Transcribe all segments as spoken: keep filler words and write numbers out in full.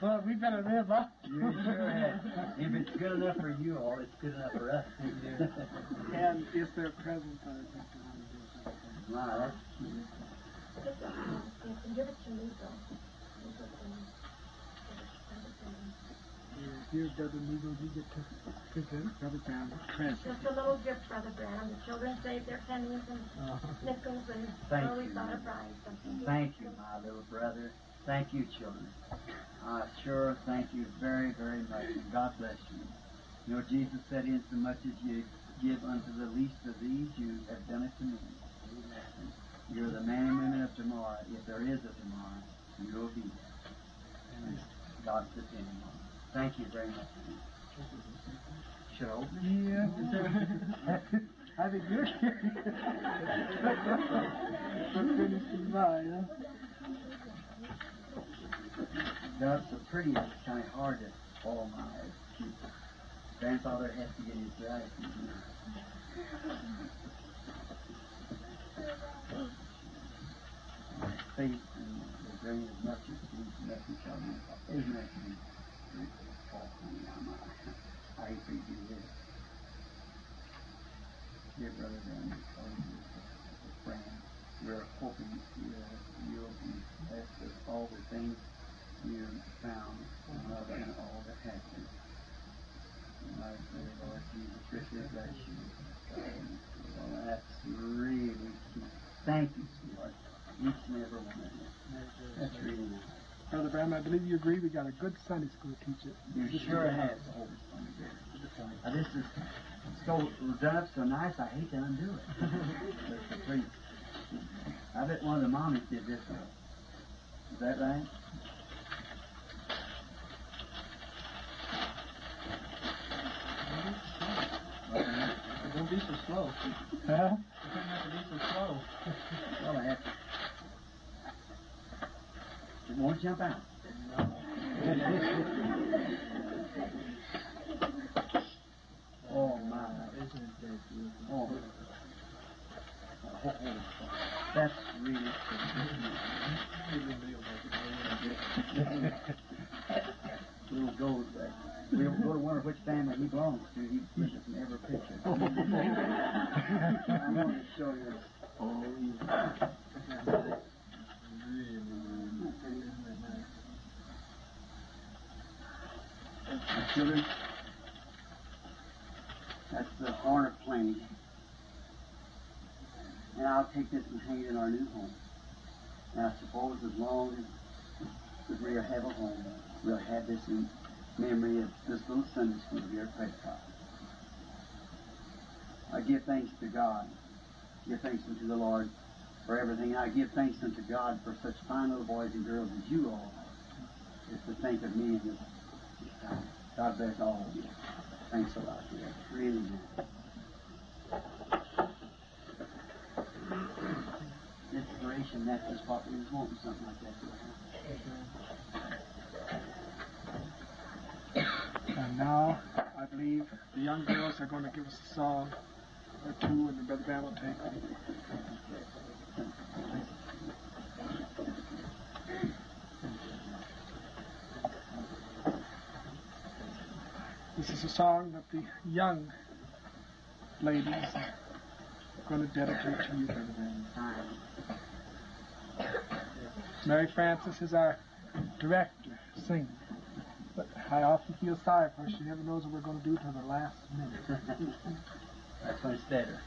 Well, we better live up. You sure have. If it's good enough for you all, it's good enough for us. And is there a present I think you want to do? Wow, that's cute. You can give it to me, though. Here, Brother Neagle, you get to present Brother Branham a present. Just a little gift, Brother Branham. The children saved their pennies and nickels, and Thank always you. thought of buying something. Thank you, my little brother. Thank you, children. I sure thank you very, very much, and God bless you. You know, Jesus said, insomuch as you give unto the least of these, you have done it to me. Amen. You're the man and women of tomorrow. If there is a tomorrow, you will be there. And God's depending on you. Thank you very much. Should I open it? Yeah. I think you're curious. We're finishing by, huh? That's so pretty, it's kind of hard to follow my eyes. Grandfather has to get his glasses. Faith in the grain of mustard seed, nothing shall be impossible. Isn't that sweet? Oh, honey, I'm, uh, I hate for you to do this. Dear Brother Branham, friend, we're hoping you'll be blessed with all the things you found and love and all that happened. And I pray, Lord Jesus, richly bless you. Well, that's really cute. Thank you, sweetheart. Each and every one of you. That's really nice. Brother Branham, I believe you agree we got a good Sunday school teacher. You sure have. Now, this is so done up so nice, I hate to undo it. That's so pretty. I bet one of the mommies did this one. Is that right? Don't be so slow. Huh? You don't have to be so slow. Well, I have to. It won't jump out. No. Oh, my. Isn't that beautiful? Oh. Oh, that's really cool. Little gold back. We don't go to wonder which family he belongs to. He gives us in every picture. I want to show you. Oh, yeah. Really, really, isn't that nice? My children, that's the horn of plenty. And I'll take this and hang it in our new home. And I suppose as long as we'll have a home, we'll have this in memory of this little Sunday school here at Prescott. I give thanks to God. Give thanks unto the Lord for everything. I give thanks unto God for such fine little boys and girls as you all are. Just to think of me in this, this time. God bless all of you. Thanks a lot. Yeah, really nice. Inspiration, that's just what we was wanting, something like that to happen. And now, I believe the young girls are going to give us a song or two, and the Brother Branham will take them. This is a song that the young ladies are going to dedicate to you, Brother Branham. Mary Frances is our director, singer. But I often feel sorry for her. She never knows what we're going to do till the last minute. That's when it's better.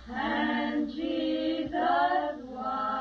And Jesus was.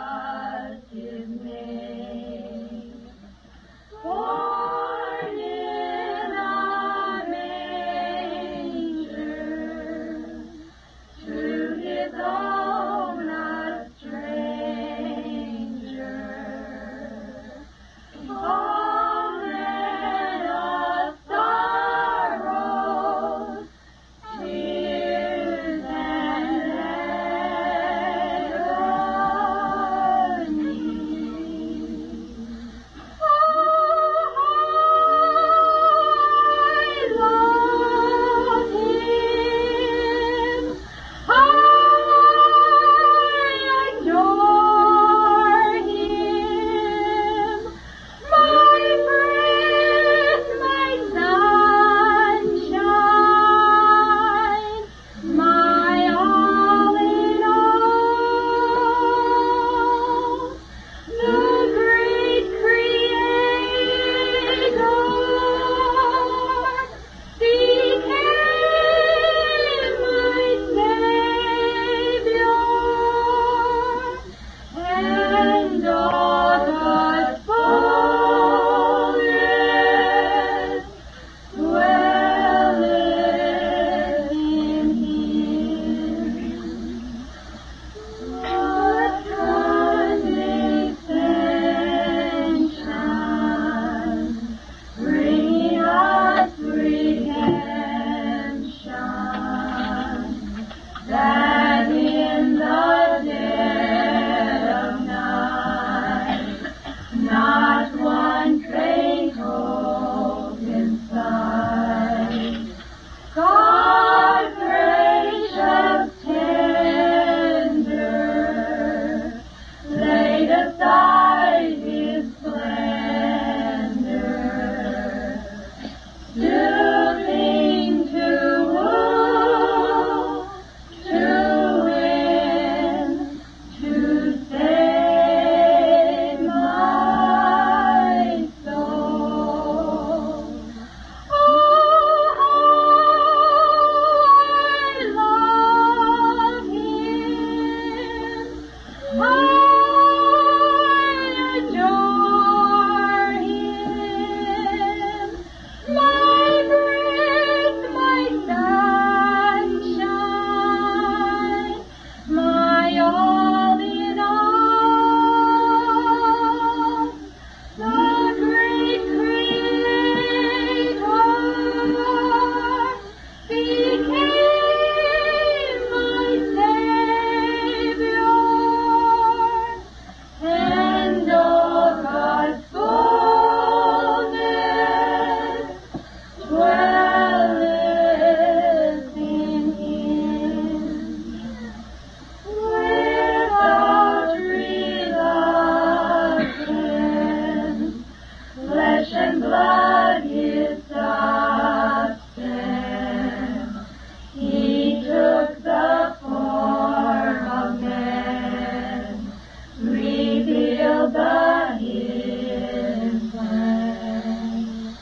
all that His plan.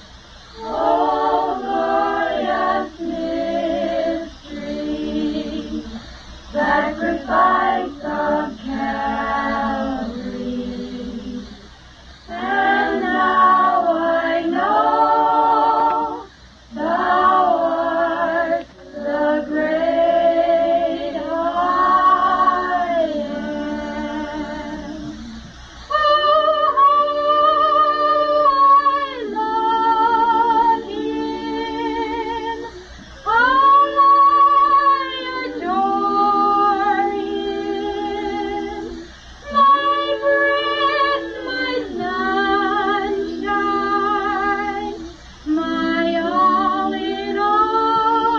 O glorious mystery, sacrifice of Calvary. And now I know Thou art the great I am. Oh, how I love Him, how I adore Him. My breath, my sunshine, my all in all,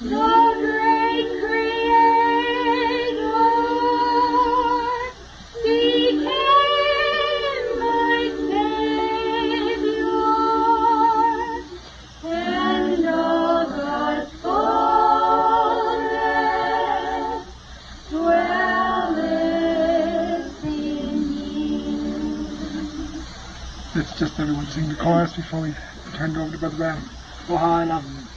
the great Creator became my Savior, and all God's fullness dwelleth in Him. Let's just everyone sing the chorus before we turn it over to Brother Branham. Oh, how I love Him.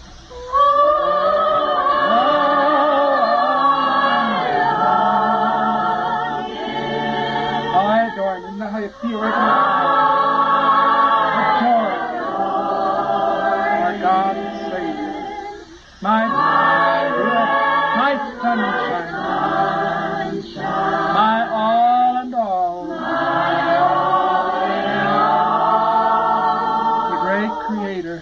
I adore Him. Isn't that how you feel right now? Adore Him. Our God and Savior. My my sunshine. My all and all. The great Creator.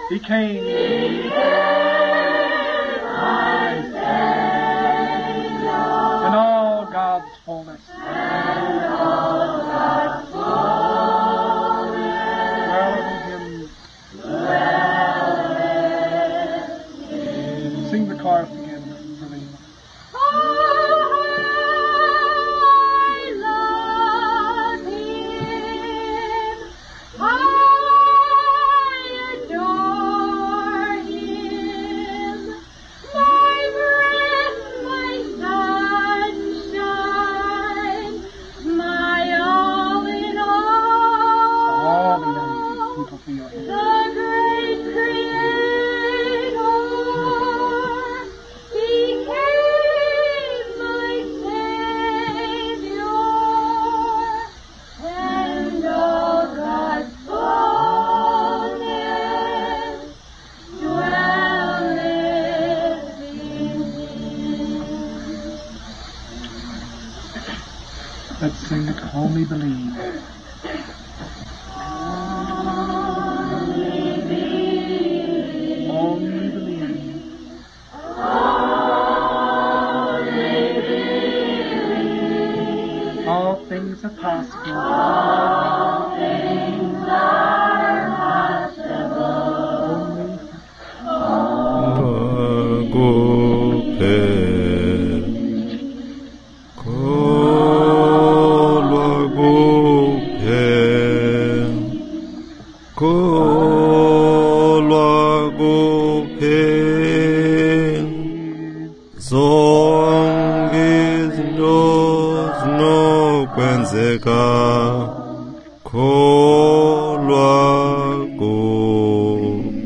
Became my Savior, and all God's fullness. Dwelleth in Him. Sing the chorus again, Selena. Oh, I love Him. I adore Him. My breath, my sunshine, my all in All the young all. people feel here. The great Creator became my Savior, and all God's fullness dwelleth in Him. Let's sing it, Only Believe. Only believe. All things are possible. All things are possible. Only Kholwa kuphela, kholwa kuphela, zonke izinto zinokwenzeka, kholwa kuphela.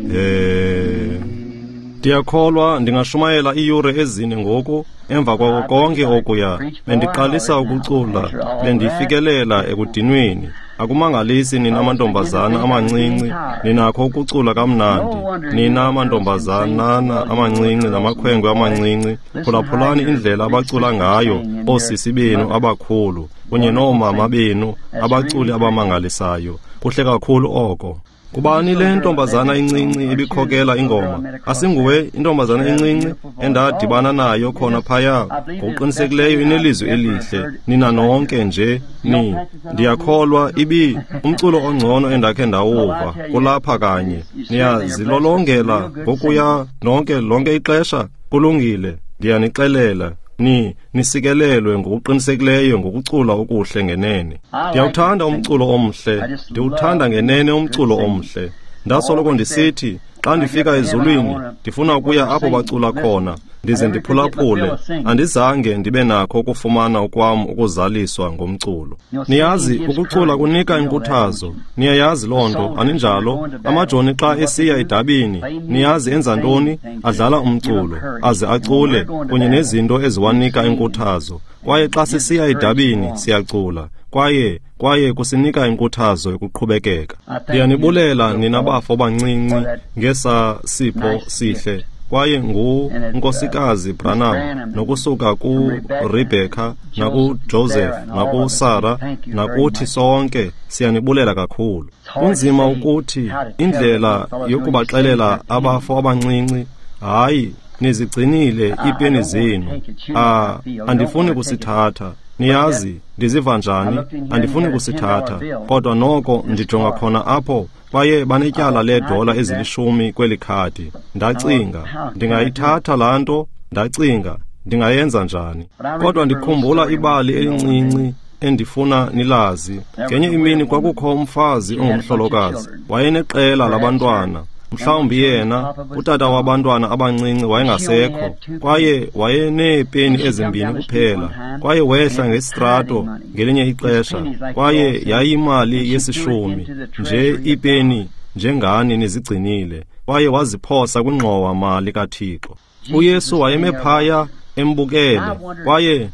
Ndiyakholwa ndingashumayela iiyure ezine ngoku emva kwako konke okuya. Bendiqalisa ukucula, bendifikelela ekudinweni. Akumangalisi nina mantombazana amancinci, ninakho ukucula kamnandi. Nina mantombazanana amancinci namakhwenkwe amancinci, phulaphulani indlela abacula ngayo oosisi benu abakhulu kunye noomama benu, abaculi abamangalisayo. Kuhle kakhulu oko. Kubani le ntombazana incinci ibikhokela ingoma? Asinguwe intombazana incinci endadibana nayo khona phaya? Ngokuqinisekileyo inelizwi elihle. Nina nonke nje ni. Ndiyakholwa ibi umculo ongcono endakhe ndawuva kulapha kanye. Niyazilolongela ngokuya nonke lonke ixesha. Kulungile, ndiyanixelela. Ni nisikelelwe ngokuqinisekileyo ngokucula okuhle ngenene. Ndiyawuthanda umculo omhle, ndiwuthanda ngenene umculo omhle. Ndasoloko ndisithi Xa ndifika ezulwini, ndifuna ukuya apho bacula khona, ndize ndiphulaphule. Andizange ndibe nakho ukufumana okwam ukuzaliswa ngomculo. Niyazi, ukucula kunika inkuthazo. Niyayazi loo nto, aninjalo? Amajoni xa esiya edabini, niyazi enza ntoni? Adlala umculo, aze acule, kunye nezinto eziwanika inkuthazo. Kwaye xa sisiya edabini, siyacula. Kwaye kwaye kusinika inkuthazo yokuqhubekeka. Ndiyanibulela nina bafo bancinci ngesa sipho sihle. Kwaye nguNkosikazi Branham, nokusuka kuRebecca, nakuJoseph, nakuSarah, nakuthi sonke siyanibulela kakhulu. Kunzima ukuthi indlela yokubaxelela abafo abancinci, hayi, nizigcinile iipeni zenu. Ah, andifuni kusithatha. Niyazi, ndiziva njani? Andifuni kusithatha. Kodwa noko ndijonga khona apho, kwaye banetyala leedola ezilishumi kweli khadi. Ndacinga, ndingayithatha laa nto. Ndacinga, ndingayenza njani? Kodwa ndikhumbula ibali elincinci endifuna nilazi. Ngenye imini kwakukho umfazi ongumhlolokazi. Wayeneqela labantwana. Mhlawumbi yena, utata wabantwana abancinci, wayengasekho, kwaye wayeneepeni ezimbini kuphela. Kwaye wehla ngesitrato ngelinye ixesha, kwaye yayimali yesishumi nje iipeni njengani nizigcinile, kwaye waziphosa kwingxowa mali kaThixo. UYesu wayeme phaya embukele, kwaye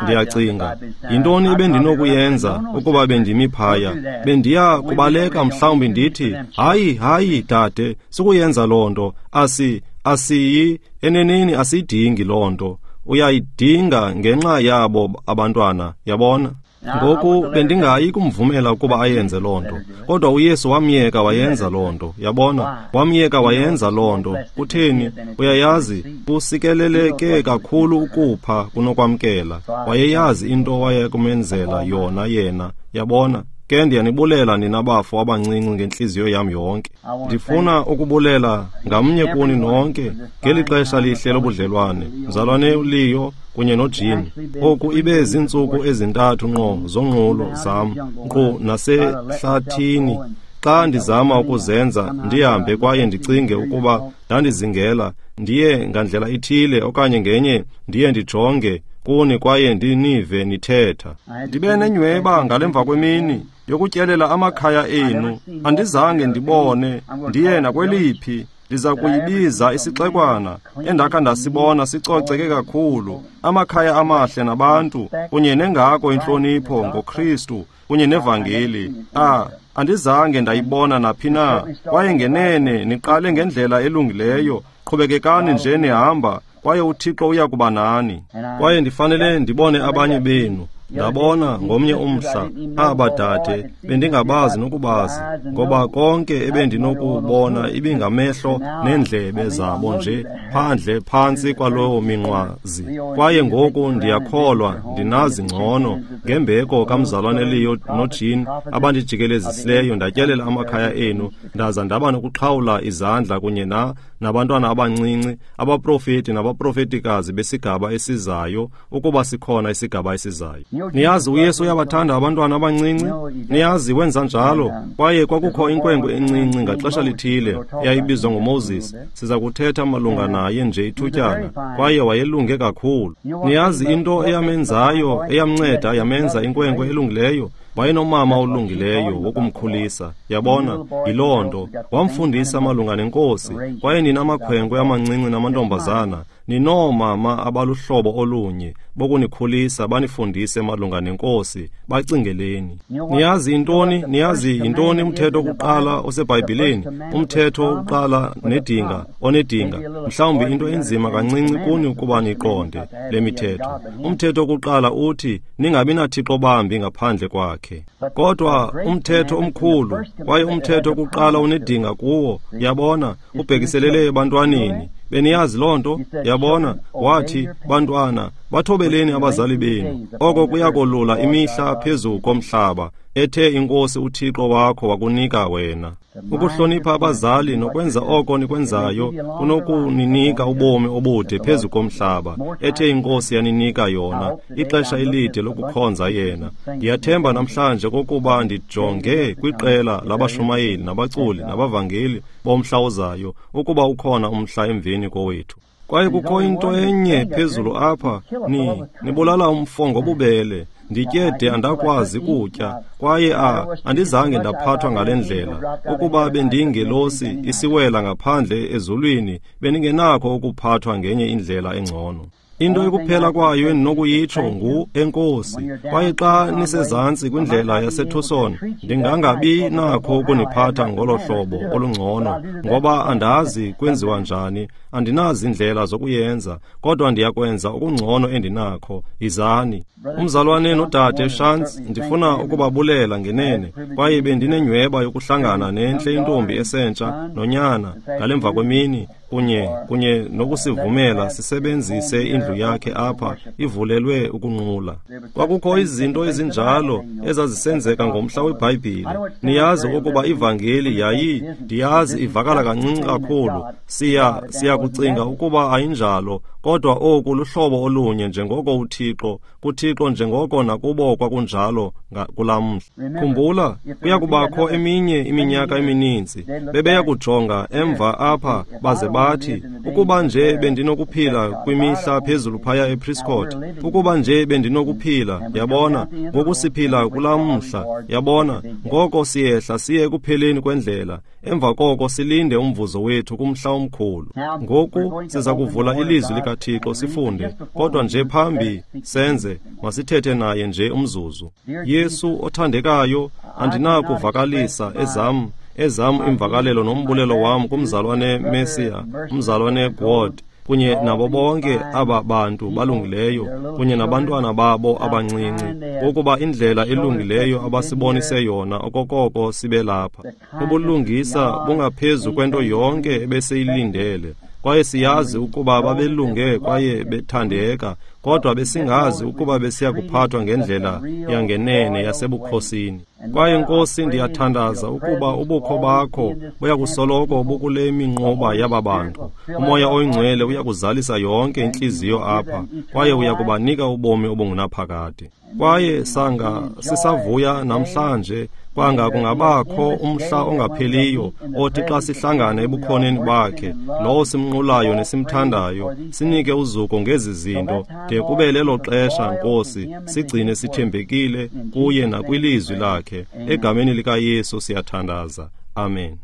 ndiyacinga, yintoni ebendinokuyenza ukuba bendimi phaya? Bendiya kubaleka mhlawumbi ndithi, hayi, hayi, dade, sukuyenza loo nto. Asi, asiyi, eneneni asiyidingi loo nto. Uyayidinga ngenxa yabo abantwana, yabona? Ngoku bendingayi kumvumela ukuba ayenze loo nto. Kodwa uYesu wamyeka wayenza loo nto, yabona? Wamyeka wayenza loo nto. Kutheni? Uyayazi, kusikeleleke kakhulu ukupha kunokwamkela. Wayeyazi into wayekumenzela yona yena, yabona? Ke ndiyanibulela nina bafo abancinci ngentliziyo yam yonke. Ndifuna ukubulela ngamnye kuni nonke ngeli xesha lihle lobudlelwane, mzalwane uLeo kunye noJean. Oku ibe ziintsuku ezintathu ngqo zonqulo zam, nkqu nasehlathini. Xa ndizama ukuzenza ndihambe kwaye ndicinge ukuba ndandizingela, ndiye ngandlela ithile okanye ngenye, ndiye ndijonge kuni kwaye ndinive nithetha. Ndibe nenyweba ngalemva kwemini yokutyelela amakhaya enu. Andizange ndibone ndiye nakweliphi. Ndiza kuyibiza isixekwana endakha ndasibona sicoceke kakhulu, amakhaya amahle nabantu, kunye nengako intlonipho ngoKristu kunye nevangeli. Ah, andizange ndayibona naphi na. Kwaye ngenene niqale ngendlela elungileyo. Qhubekekani nje nihamba, kwaye uThixo uya kuba nani. Kwaye ndifanele ndibone abanye benu. Ndabona ngomnye umhla aba dade bendingabazi nokubazi, ngoba konke ebendinokubona ibingamehlo neendlebe zabo nje phandle phantsi kwalowo minqwazi. Kwaye ngoku ndiyakholwa ndinazi ngcono ngembeko kamzalwane Leo noJean abandijikelezisileyo. Ndatyelela amakhaya enu, ndaza ndaba nokuxhawula izandla kunye na nabantwana abancinci, abaprofeti nabaprofetikazi besigaba esizayo, ukuba sikhona isigaba esizayo. Niyazi uYesu uyabathanda abantwana abancinci. Niyazi wenza njalo. Kwaye kwakukho inkwenkwe encinci ngaxesha lithile eyayibizwa ngoMoses. Siza kuthetha malunga naye nje ithutyana. Kwaye wayelunge kakhulu. Niyazi into eyamenzayo, eyamnceda yamenza inkwenkwe elungileyo? Wayenomama olungileyo wokumkhulisa, yabona? Yiloo nto. Wamfundisa malunga nenkosi. Kwaye nina amakhwenkwe amancinci namantombazana, ninoomama abaluhlobo olunye bokunikhulisa, banifundise malunga nenkosi. Bacingeleni. Niyazi intoni? Niyazi yintoni umthetho wokuqala oseBhayibhileni? Umthetho wokuqala nedinga, onedinga. Mhlawumbi into enzima kancinci kuni ukuba niqonde le mithetho. Umthetho wokuqala uthi ningabi nathixo bambi ngaphandle kwakhe. Kodwa umthetho omkhulu, kwaye umthetho wokuqala unedinga kuwo, yabona, ubhekiselele ebantwaneni. Beniyazi loo nto? Yabona? Wathi, bantwana, Bathobeleni abazali benu, oko kuyakolula imihla phezu komhlaba ethe iNkosi uThixo wakho wakunika wena. Ukuhlonipha abazali nokwenza oko nikwenzayo kunokuninika ubomi obude phezu komhlaba ethe iNkosi yaninika yona, ixesha elide lokukhonza yena. Ndiyathemba namhlanje kokuba ndijonge kwiqela labashumayeli nabaculi nabavangeli bomhla ozayo, ukuba ukhona umhla emveni kowethu. Kwaye kukho into enye phezulu apha, ni nibulala umfo ngobubele. Nditye de andakwazi kutya, kwaye a andizange ndaphathwa ngale ndlela. Ukuba bendiyingelosi isiwela ngaphandle ezulwini, bendingenakho ukuphathwa ngenye indlela engcono. Into ekuphela kwayo endinokuyitsho ngu enkosi. Kwaye xa nisezantsi kwindlela yaseTucson, ndingangabi nakho ukuniphatha ngolo hlobo olungcono, ngoba andazi kwenziwa njani, andinazi indlela zokuyenza, kodwa ndiyakwenza okungcono endinakho. Yizani. Umzalwane nodade Shantz, ndifuna ukubabulela ngenene, kwaye bendinenyhweba yokuhlangana nentle intombi esentsha nonyana ngalemva kwemini, kunye kunye nokusivumela sisebenzise indlu yakhe apha ivulelwe ukunqula. Kwakukho izinto ezinjalo ezazisenzeka ngomhla weBhayibhile. Niyazi ukuba ivangeli yayi, ndiyazi ivakala kancinci kakhulu, siya siyakucinga ukuba ayinjalo, kodwa oku luhlobo olunye njengoko uThixo, kuThixo njengoko nakubo kwakunjalo kulaa mhla. Khumbula, kuyakubakho eminye iminyaka emininzi bebeya kujonga emva apha baze bathi, ukuba nje bendinokuphila kwimihla phezulu phaya ePrescott, ukuba nje bendinokuphila, yabona, ngoku siphila kulaa mhla, yabona, ngoko siyehla siye ekupheleni kwendlela, emva koko silinde umvuzo wethu kumhla omkhulu. Ngoku siza kuvula ilizwi likaThixo sifunde, kodwa nje phambi senze, masithethe naye nje umzuzu. Yesu othandekayo, andinakuvakalisa ezam ezam imvakalelo nombulelo wam kumzalwane Mesiya, umzalwane God, kunye nabo bonke aba bantu balungileyo, kunye nabantwana babo abancinci, ngokuba indlela elungileyo abasibonise yona okokoko sibe lapha. Ubulungisa bungaphezu kwento yonke ebesiyilindele, kwaye siyazi ukuba babelunge kwaye bethandeka, kodwa besingazi ukuba besiya kuphathwa ngendlela yangenene yasebukhosini. Kwaye Nkosi, ndiyathandaza ukuba ubukho bakho buyakusoloko bukule minquba yaba bantu. UMoya oyiNgcwele uyakuzalisa yonke intliziyo apha, kwaye uyakubanika ubomi obungunaphakade. Kwaye sanga sisavuya namhlanje, kwanga kungabakho umhla ongapheliyo othi xa sihlangana ebukhoneni bakhe, lowo simnqulayo nesimthandayo, sinike uzuko ngezi zinto de kube lelo xesha. Nkosi, sigcine sithembekile kuye nakwilizwi lakhe. Egameni likaYesu siyathandaza, amen.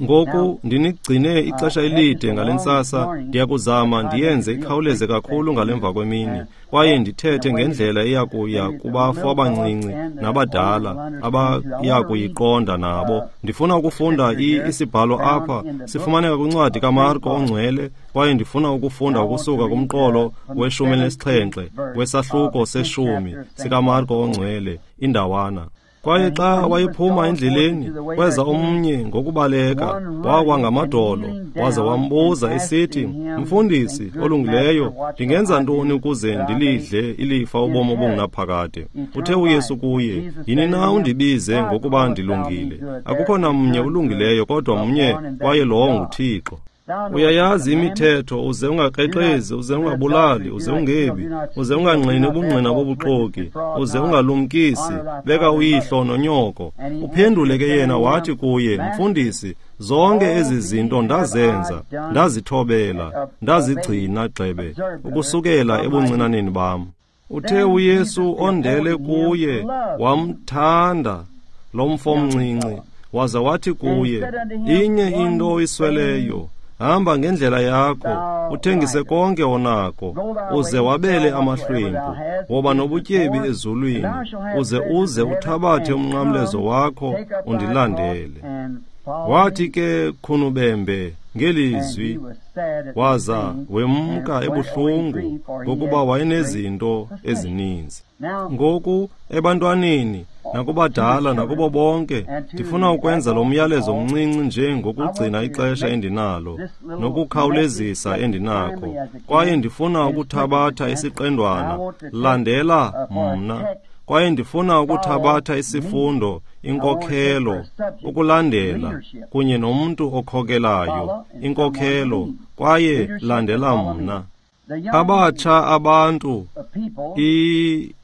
Ngoku ndinigcine ixesha elide ngale ntsasa, ndiyakuzama ndiyenze ikhawuleze kakhulu ngalemva kwemini, kwaye ndithethe ngendlela eyakuya kubafo abancinci nabadala abaya kuyiqonda nabo. Ndifuna ukufunda isibhalo apha, sifumaneka kwincwadi kaMarko ongcwele, kwaye ndifuna ukufunda ukusuka kumqolo weshumi elinesixhenxe wesahluko seshumi sikaMarko ongcwele, indawana. Kwaye xa wayephuma endleleni, kweza omnye ngokubaleka, wawa ngamadolo, waza wambuza esithi, Mfundisi olungileyo, ndingenza ntoni ukuze ndilidle ilifa ubomi obungunaphakade? Uthe uYesu kuye, yini na undibize ngokuba ndilungile? Akukho namnye ulungileyo kodwa mnye, kwaye lowo nguThixo. Uyayazi imithetho, uze ungakrexezi, uze ungabulali, uze ungebi, uze ungangqini ubungqina bobuxoki, uze ungalumkisi, beka uyihlo nonyoko. Uphendule ke yena wathi kuye, Mfundisi, zonke ezi zinto ndazenza, ndazithobela, ndazigcina gxebe, ukusukela ebuncinaneni bam. Uthe uYesu ondele kuye, wamthanda lo mfo mncinci, waza wathi kuye, inye into oyisweleyo, hamba ngendlela yakho, uthengise konke onako, uze wabele amahlwempu, woba nobutyebi ezulwini, uze uze uthabathe umnqamlezo wakho undilandele. Wathi ke khunubembe ngelizwi, waza wemka ebuhlungu ngokuba wayenezinto ezininzi. Ngoku ebantwaneni nakubadala, nakubo bonke, ndifuna ukwenza lo myalezo mncinci nje ngokugcina ixesha endinalo, nokukhawulezisa endinakho. Kwaye ndifuna ukuthabatha isiqendwana, landela mna. Kwaye ndifuna ukuthabatha isifundo, inkokhelo, ukulandela, kunye nomntu okhokelayo, inkokhelo, kwaye landela mna. Abatsha abantu, i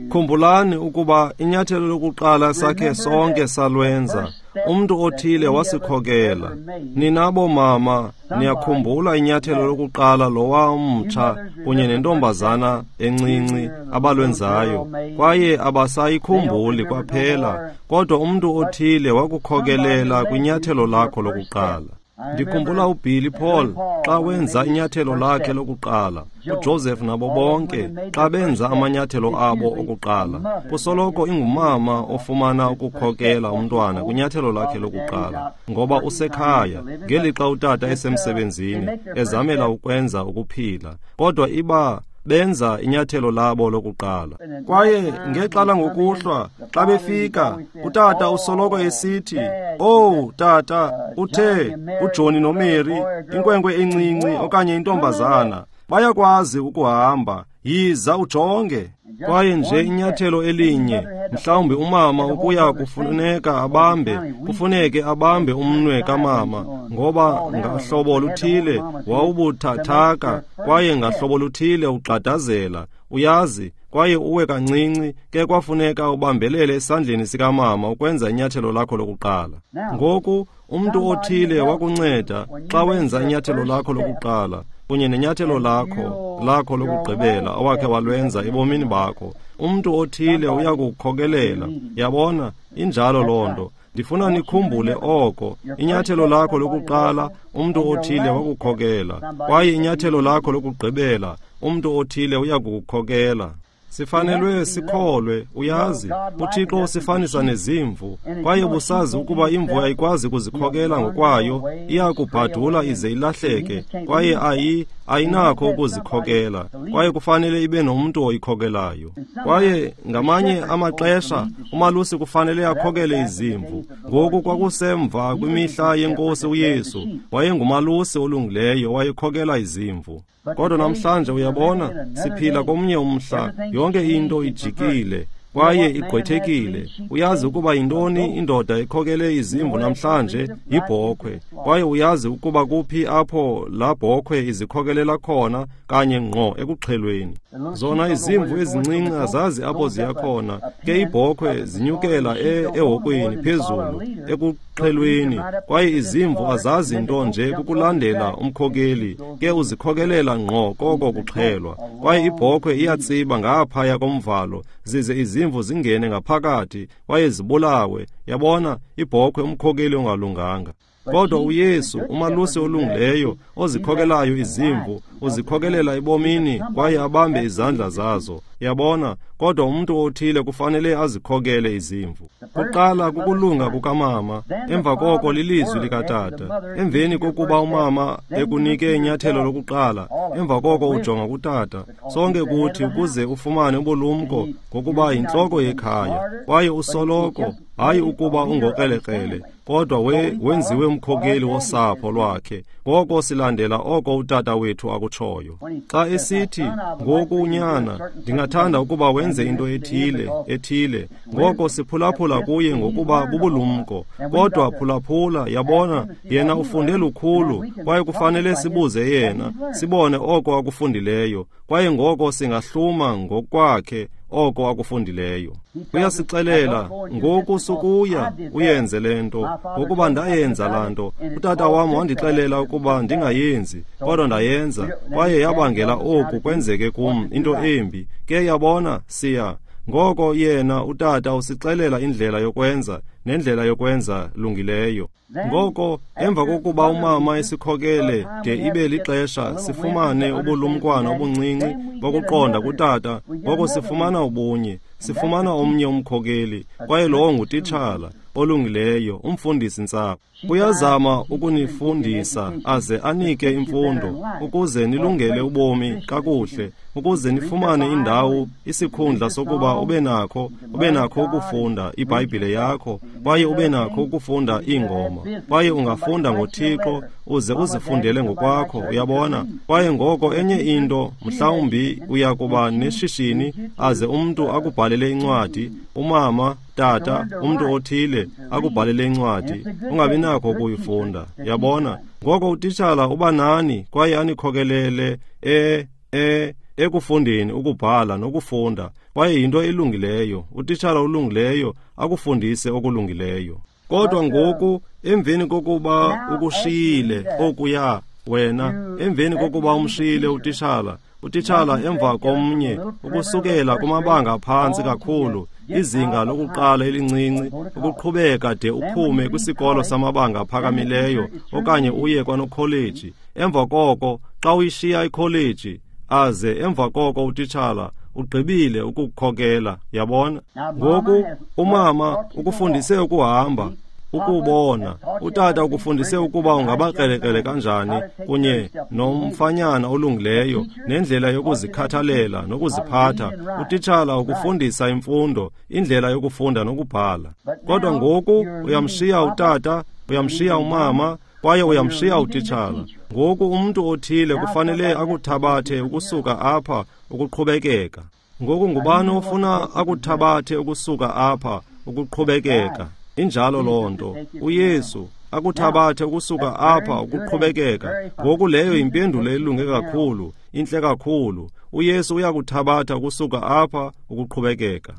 khumbulani ukuba inyathelo lokuqala sakhe sonke salwenza, umntu othile wasikhokela. Nina bomama, niyakhumbula inyathelo lokuqala lowa mtsha kunye nentombazana encinci abalwenzayo, kwaye abasayikhumbuli kwaphela, kodwa umntu othile wakukhokelela kwinyathelo lakho lokuqala. Ndikhumbula uBilly Paul xa wenza inyathelo lakhe lokuqala, uJoseph nabo bonke xa benza amanyathelo abo okuqala. Kusoloko ingumama ofumana ukukhokela umntwana kwinyathelo lakhe lokuqala, ngoba usekhaya ngelixa utata esemsebenzini ezamela ukwenza ukuphila, kodwa iba benza inyathelo labo lokuqala. Kwaye ngexa langokuhlwa xa befika, utata usoloko esithi, "Oh tata, uthe uJohnny noMary, inkwenkwe encinci okanye intombazana, bayakwazi ukuhamba, yiza ujonge." Kwaye nje inyathelo elinye, mhlawumbi umama ukuya kufuneka abambe, kufuneke abambe umnwe kamama, ngoba ngahlobo luthile wawubuthathaka, kwaye ngahlobo luthile ugxadazela, uyazi, kwaye uwe kancinci, ke kwafuneka ubambelele esandleni sikamama ukwenza inyathelo lakho lokuqala. Ngoku umntu othile wakunceda xa wenza inyathelo lakho lokuqala, kunye nenyathelo lakho lakho lokugqibela owakhe walwenza ebomini bakho. Umntu othile uyakukhokelela. Yabona, injalo loo nto. Ndifuna nikhumbule oko. Inyathelo lakho lokuqala, umntu othile wakukhokela, kwaye inyathelo lakho lokugqibela, umntu othile uyakukukhokela. Sifanelwe sikholwe, uyazi, uThixo usifanisa nezimvu, kwaye busazi ukuba imvu ayikwazi kuzikhokela ngokwayo, iyakubhadula ize ilahleke, kwaye ayi ayinakho ukuzikhokela, kwaye kufanele ibe nomntu oyikhokelayo. Kwaye ngamanye amaxesha umalusi kufanele akhokele izimvu. Ngoku kwakusemva kwimihla yenkosi uYesu, wayengumalusi olungileyo, wayekhokela izimvu. Kodwa namhlanje uyabona, siphila komnye umhla, yonke into ijikile kwaye igqwethekile. Uyazi ukuba yintoni indoda ekhokele izimvu namhlanje? Yibhokhwe. Kwaye uyazi ukuba kuphi apho laa bhokhwe izikhokelela khona? Kanye ngqo ekuxhelweni. Zona izimvu ezincinci azazi apho ziya khona, ke ibhokhwe zinyukela ehokweni phezulu ekuxhelweni, kwaye izimvu azazi nto nje kukulandela umkhokeli, ke uzikhokelela ngqo koko kuxhelwa. Kwaye ibhokhwe iyatsiba ngaphaya komvalo, zize izimvu zingene ngaphakathi kwaye zibulawe. Yabona, ibhokhwe umkhokeli ongalunganga. Kodwa uYesu, umalusi olungileyo, ozikhokelayo izimvu, uzikhokelela ebomini kwaye abambe izandla zazo. Yabona, kodwa umntu othile kufanele azikhokele izimvu. Kuqala kukulunga kukamama, emva koko lilizwi likatata. Emveni kokuba umama ekunike inyathelo lokuqala, emva koko ujonga kutata. Sonke kuthi ukuze ufumane ubulumko ngokuba yintloko yekhaya, kwaye usoloko, hayi ukuba ungokrelekrele, kodwa we wenziwe umkhokeli wosapho lwakhe. Ngoko silandela oko utata wethu akutshoyo. Xa esithi, "Ngoku unyana, ndingathanda ukuba wenze into ethile, ethile," ngoko siphulaphula kuye ngokuba bubulumko. Kodwa phulaphula, yabona, yena ufunde lukhulu, kwaye kufanele sibuze yena, sibone oko akufundileyo, kwaye ngoko singahluma ngokwakhe oko akufundileyo. Uyasixelela, "Ngoku sukuya uyenze le nto, ngokuba ndayenza laa nto. Utata wam wandixelela ukuba ndingayenzi, kodwa ndayenza, kwaye yabangela oku kwenzeke kum, into embi. Ke yabona, siya." Ngoko yena utata usixelela indlela yokwenza nendlela yokwenza lungileyo. Ngoko emva kokuba umama esikhokele de ibe lixesha sifumane ubulumkwana obuncinci bokuqonda kutata, ngoko sifumana ubunye, sifumana omnye umkhokeli, kwaye lowo ngutitshala. olungileyo, umfundisi ntsapho. Uyazama ukunifundisa aze anike imfundo ukuze nilungele ubomi kakuhle, ukuze nifumane indawo, isikhundla sokuba ube nakho, ube nakho ukufunda iBhayibhile yakho, kwaye ube nakho ukufunda iingoma, kwaye ungafunda ngoThixo uze uzifundele ngokwakho, uyabona. Kwaye ngoko enye into, mhlawumbi uya kuba neshishini aze umntu akubhalele incwadi, umama, tata, umntu othile akubhalele incwadi, ungabi nakho ukuyifunda, yabona. Ngoko utitshala uba nani kwaye anikhokelele e e ekufundeni ukubhala nokufunda, kwaye yinto elungileyo. Utitshala olungileyo akufundise okulungileyo. Kodwa ngoku emveni kokuba ukushiyile okuya wena, emveni kokuba umshiyile utitshala, utitshala emva komnye ukusukela kumabanga phantsi kakhulu, izinga lokuqala elincinci, ukuqhubeka de uphume kwisikolo samabanga aphakamileyo okanye uye kwanokholeji. Emva koko xa uyishiya ikholeji, aze emva koko utitshala ugqibile ukukukhokela, yabona. Ngoku umama ukufundise ukuhamba, ukubona, utata ukufundise ukuba ungabakrelekrele kanjani kunye nomfanyana olungileyo nendlela yokuzikhathalela nokuziphatha. Utitshala ukufundisa imfundo, indlela yokufunda nokubhala. Kodwa ngoku uyamshiya utata, uyamshiya umama, kwaye uyamshiya utitshala. Ngoku umntu othile kufanele akuthabathe ukusuka apha ukuqhubekeka. Ngoku ngubani ofuna akuthabathe ukusuka apha ukuqhubekeka? Injalo loo nto. uYesu akuthabathe ukusuka apha ukuqhubekeka. Ngoku leyo impendulo elunge kakhulu, intle kakhulu. uYesu uyakuthabatha ukusuka apha ukuqhubekeka.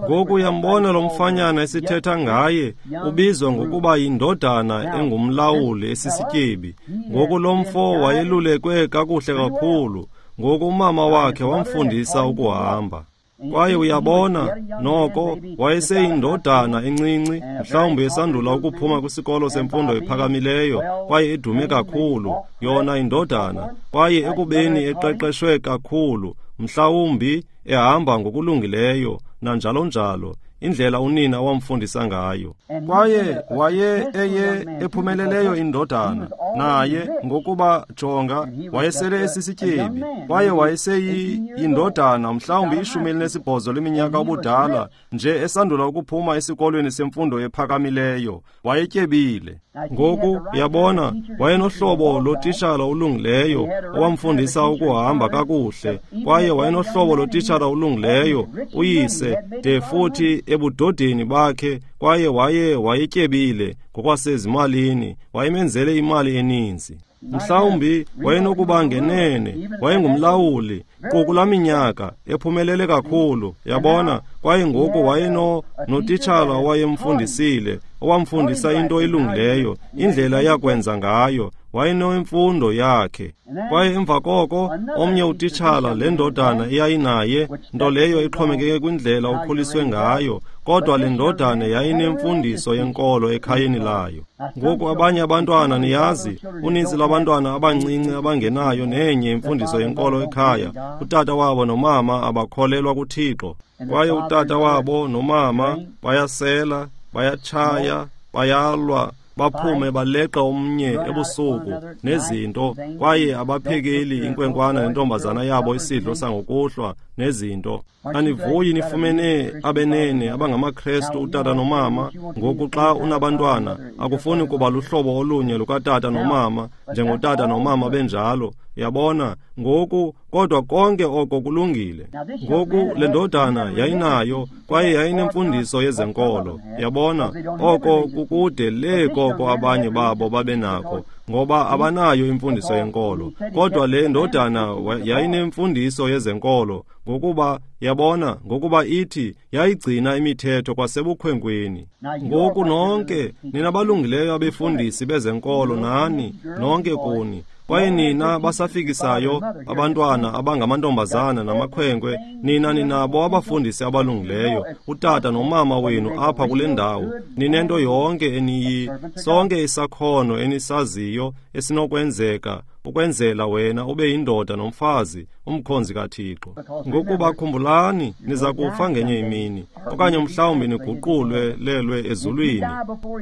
Ngoku uyambona lo mfanyana esithetha ngaye, ubizwa ngokuba yindodana engumlawuli esisityebi. Ngoku lo mfo wayelulekwe kakuhle kakhulu. Ngoku umama wakhe wamfundisa ukuhamba. Kwaye uyabona, noko wayeseyindodana encinci, mhlawumbi esandula ukuphuma kwisikolo semfundo ephakamileyo, kwaye edume kakhulu, yona indodana, kwaye ekubeni eqeqeshwe kakhulu, mhlawumbi ehamba ngokulungileyo, nanjalo njalo, indlela unina wamfundisa ngayo. Kwaye waye eye ephumeleleyo indodana, naye ngokuba jonga wayesele esisityebi, kwaye wayeseyindodana mhlawumbi ishumi elinesibhozo leminyaka ubudala, nje esandula ukuphuma esikolweni semfundo ephakamileyo, wayetyebile. Ngoku yabona, wayenohlobo lotitshala olungileyo owamfundisa ukuhamba kakuhle, kwaye wayenohlobo lotitshala olungileyo uyise de futhi ebudodeni bakhe, kwaye waye wayetyebile ngokwasezimalini, wayemenzele imali eninzi. Mhlawumbi wayenokuba ngenene, wayengumlawuli kula minyaka, ephumelele kakhulu, yabona. Kwaye ngoku wayeno notitshala owayemfundisile, owamfundisa into elungileyo, indlela yakwenza ngayo, wayenemfundo yakhe. Kwaye emva koko omnye utitshala, le ndodana eyayinaye, nto leyo ixhomekeke kwindlela okhuliswe ngayo, kodwa le ndodana yayinemfundiso yenkolo ekhayeni layo. Ngoku abanye abantwana, niyazi, uninzi lwabantwana abancinci abangenayo nenye imfundiso yenkolo ekhaya, utata wabo nomama abakholelwa kuThixo, kwaye utata wabo nomama bayasela, bayatshaya, bayalwa, baphume baleqa omnye ebusuku nezinto, kwaye abaphekeli inkwenkwana nentombazana yabo isidlo sangokuhlwa nezinto. Anivuyi nifumene abenene abangamaKrestu utata nomama? Ngoku xa unabantwana akufuni kuba luhlobo olunye lukatata nomama njengotata nomama benjalo, yabona. Ngoku kodwa konke oko kulungile. Ngoku le ndodana yayinayo kwaye yayinemfundiso yezenkolo, yabona. Oko kukude le koko abanye babo babenakho, ngoba abanayo imfundiso yenkolo. Kodwa le ndodana yayinemfundiso yezenkolo, ngokuba yabona, ngokuba ithi yayigcina imithetho kwasebukhwenkweni. Ngoku nonke nina balungileyo abefundisi bezenkolo, nani nonke kuni, kwaye nina basafikisayo abantwana abangamantombazana namakhwenkwe, nina ninabo abafundisi abalungileyo, utata nomama wenu apha kule ndawo, ninento yonke eniyi, sonke isakhono enisaziyo esinokwenzeka ukwenzela wena ube yindoda nomfazi, umkhonzi kaThixo. Ngokuba khumbulani, niza kufa ngenye imini, okanye mhlawumbi niguqulwe lelwe ezulwini.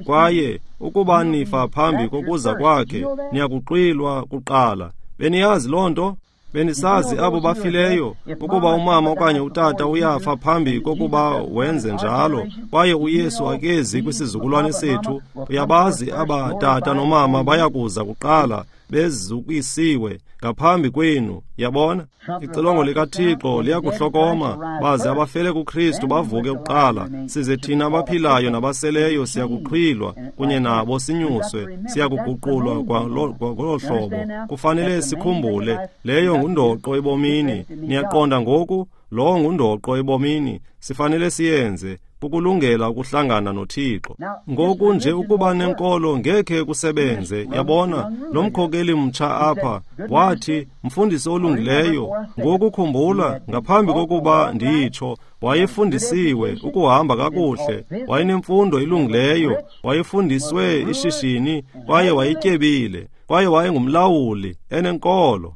Kwaye ukuba nifa phambi kokuza kwakhe, niyakuxwilwa kuqala. Beniyazi loo nto? Benisazi abo bafileyo ukuba umama okanye utata uyafa phambi kokuba wenze njalo, kwaye uYesu akezi kwisizukulwane sethu. Uyabazi aba tata nomama bayakuza kuqala bezukisiwe ngaphambi kwenu. Yabona, ixilongo likaThixo liyakuhlokoma, baze abafele kuKristu bavuke kuqala, size thina abaphilayo nabaseleyo siyakuxhwilwa kunye nabo sinyuswe, siyakuguqulwa ngolo hlobo. Kufanele sikhumbule, leyo ngundoqo ebomini. Niyaqonda ngoku? Lowo ngundoqo ebomini, sifanele siyenze ukulungela ukuhlangana noThixo. Ngoku nje ukuba nenkolo ngekhe kusebenze. Yabona, lo mkhokeli mtsha apha wathi, mfundisi olungileyo. Ngoku khumbula, ngaphambi kokuba nditsho, wayefundisiwe ukuhamba kakuhle, wayenemfundo ilungileyo, wayefundiswe ishishini, kwaye wayetyebile, kwaye wayengumlawuli enenkolo.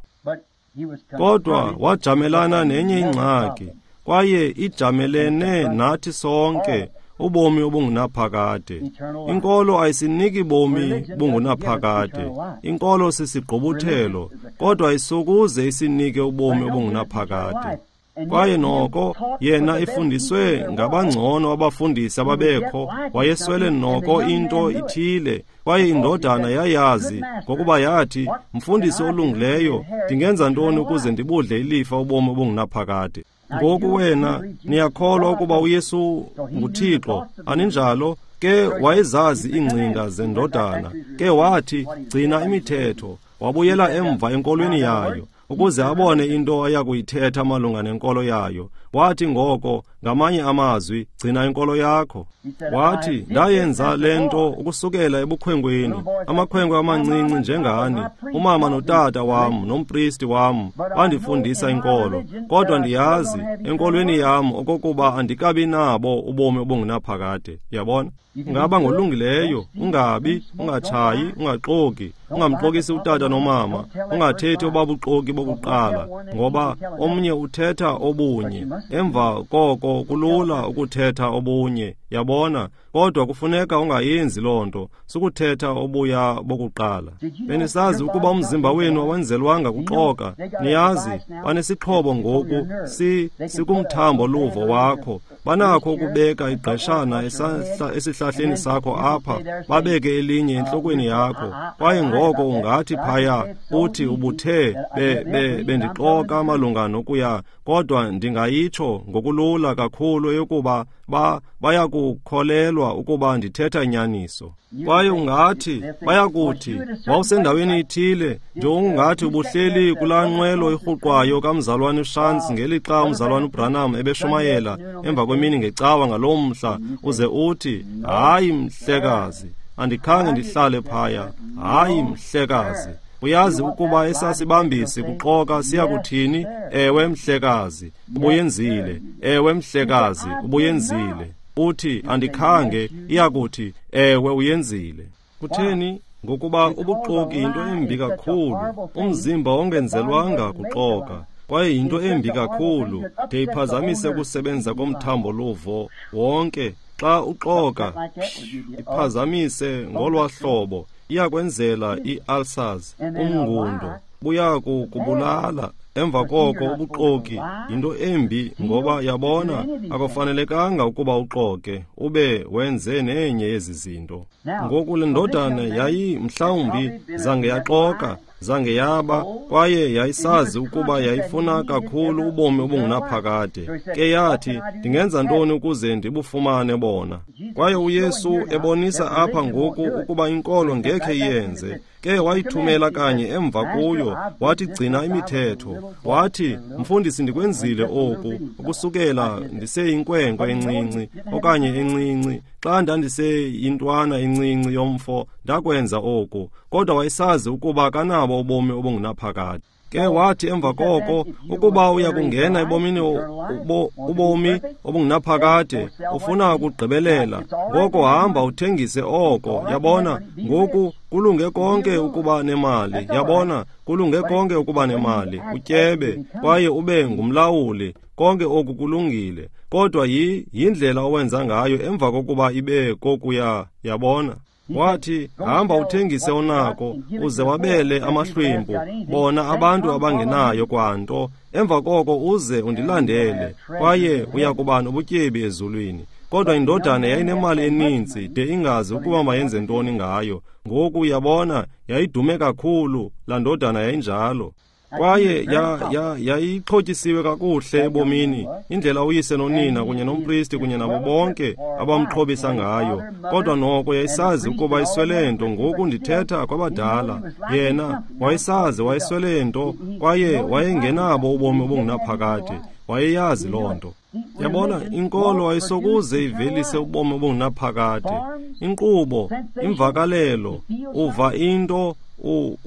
Kodwa wajamelana nenye ingxaki, kwaye ijamelene nathi sonke, ubomi obungunaphakade. Inkolo ayisiniki bomi bungunaphakade. Inkolo sisigqubuthelo, kodwa ayisokuze isinike ubomi obungunaphakade. Kwaye noko yena ifundiswe ngabangcono abafundisi ababekho, wayeswele noko into ithile, kwaye indodana yayazi, ngokuba yathi, mfundisi olungileyo, ndingenza ntoni ukuze ndibudle ilifa ubomi obungunaphakade? Ngoku wena niyakholwa ukuba uYesu nguThixo, aninjalo? Ke wayezazi iingcinga zendodana. Ke wathi, gcina imithetho. Wabuyela emva enkolweni yayo, ukuze abone into ayakuyithetha malunga nenkolo yayo. Wathi ngoko, ngamanye amazwi, gcina inkolo yakho. Wathi, ndayenza le nto ukusukela ebukhwenkweni, amakhwenkwe amancinci njengani, umama notata wam nompristi wam bandifundisa inkolo, kodwa ndiyazi enkolweni yam okokuba andikabi nabo ubomi obungunaphakade. Yabona? Ungaba ngolungileyo, ungabi, ungatshayi, ungaxoki, ungamxokisi utata nomama, ungathethi obabuxoki bokuqala, ngoba omnye uthetha obunye, emva koko kulula ukuthetha obunye. Yabona? Kodwa kufuneka ungayenzi loo nto, sukuthetha obuya bokuqala. Benisazi ukuba umzimba wenu awenzelwanga kuxoka? Niyazi, banesixhobo ngoku, si sikumthambo luvo wakho. Banakho ukubeka igqeshana esihlahleni sakho apha, babeke elinye entlokweni yakho, kwaye ngoko ungathi phaya uthi ubuthe be, be, bendixoka malunga nokuya, kodwa ndingayitsho ngokulula kakhulu eyokuba ba bayakukholelwa ukuba ndithetha inyaniso. Kwaye ungathi, bayakuthi, wawusendaweni ithile, njengokungathi ubuhleli kulaa nqwelo irhuqwayo kamzalwane uShantz ngelixa umzalwane uBranham ebeshumayela emva kwemini ngecawa ngaloo mhla, uze uthi, hayi mhlekazi, andikhange ndihlale phaya, hayi mhlekazi. Uyazi ukuba esasibambisi kuxoka siyakuthini? Ewe mhlekazi, ubuyenzile. Ewe mhlekazi, ubuyenzile. Uthi andikhange, iyakuthi ewe uyenzile. Kutheni? Ngokuba ubuxoki yinto embi kakhulu. Umzimba ongenzelwanga kuxoka, kwaye yinto embi kakhulu de iphazamise ukusebenza komthambo luvo wonke. Xa uxoka, iphazamise ngolwa hlobo, iyakwenzela i-ulcers, umngundo, buyakukubulala. Emva koko ubuxoki yinto embi, ngoba yabona, akufanelekanga ukuba uxoke ube wenze nenye yezi zinto. Ngoku le ndodana yayi mhlawumbi zange yaxoka, zange yaba, kwaye yayisazi ukuba yayifuna kakhulu ubomi obungunaphakade. Ke yathi, ndingenza ntoni ukuze ndibufumane bona? Kwaye uYesu ebonisa apha ngoku ukuba inkolo ngekhe iyenze. Ke wayithumela kanye emva kuyo, wathi gcina imithetho. Wathi, mfundisi, ndikwenzile oku ukusukela ndiseyinkwenkwe encinci okanye encinci, xa ndandiseyintwana encinci yomfo, ndakwenza oku. Kodwa wayesazi ukuba kanabo ubomi obungunaphakade. Ke wathi emva koko, ukuba uya kungena ebomini ubomi obungunaphakade, ufuna ukugqibelela, ngoko hamba uthengise oko. Yabona, ngoku kulunge konke ukuba nemali. Yabona, kulunge konke ukuba nemali, utyebe kwaye ube ngumlawuli. Konke oku kulungile, kodwa yi yindlela owenza ngayo emva kokuba ibe kokuya. Yabona, wathi hamba uthengise onako uze wabele amahlwempu, bona abantu abangenayo kwanto. Emva koko uze undilandele, kwaye uya kuba nobutyebi ezulwini. Kodwa indodana yayinemali eninzi de ingazi ukuba mayenze ntoni ngayo. Ngoku uyabona, yayidume kakhulu laa ndodana, yayinjalo. Kwaye yayixhotyisiwe kakuhle ebomini, indlela uyise nonina kunye nompristi kunye nabo bonke abamxhobisa ngayo. Kodwa noko yayisazi ukuba iswele nto. Ngoku ndithetha kwabadala. Yena wayesazi wayeswele nto, kwaye wayengenabo ubomi obungunaphakade. Wayeyazi loo nto. Yabona, inkolo ayisokuze ivelise ubomi obungunaphakade. Inkqubo, imvakalelo, uva into,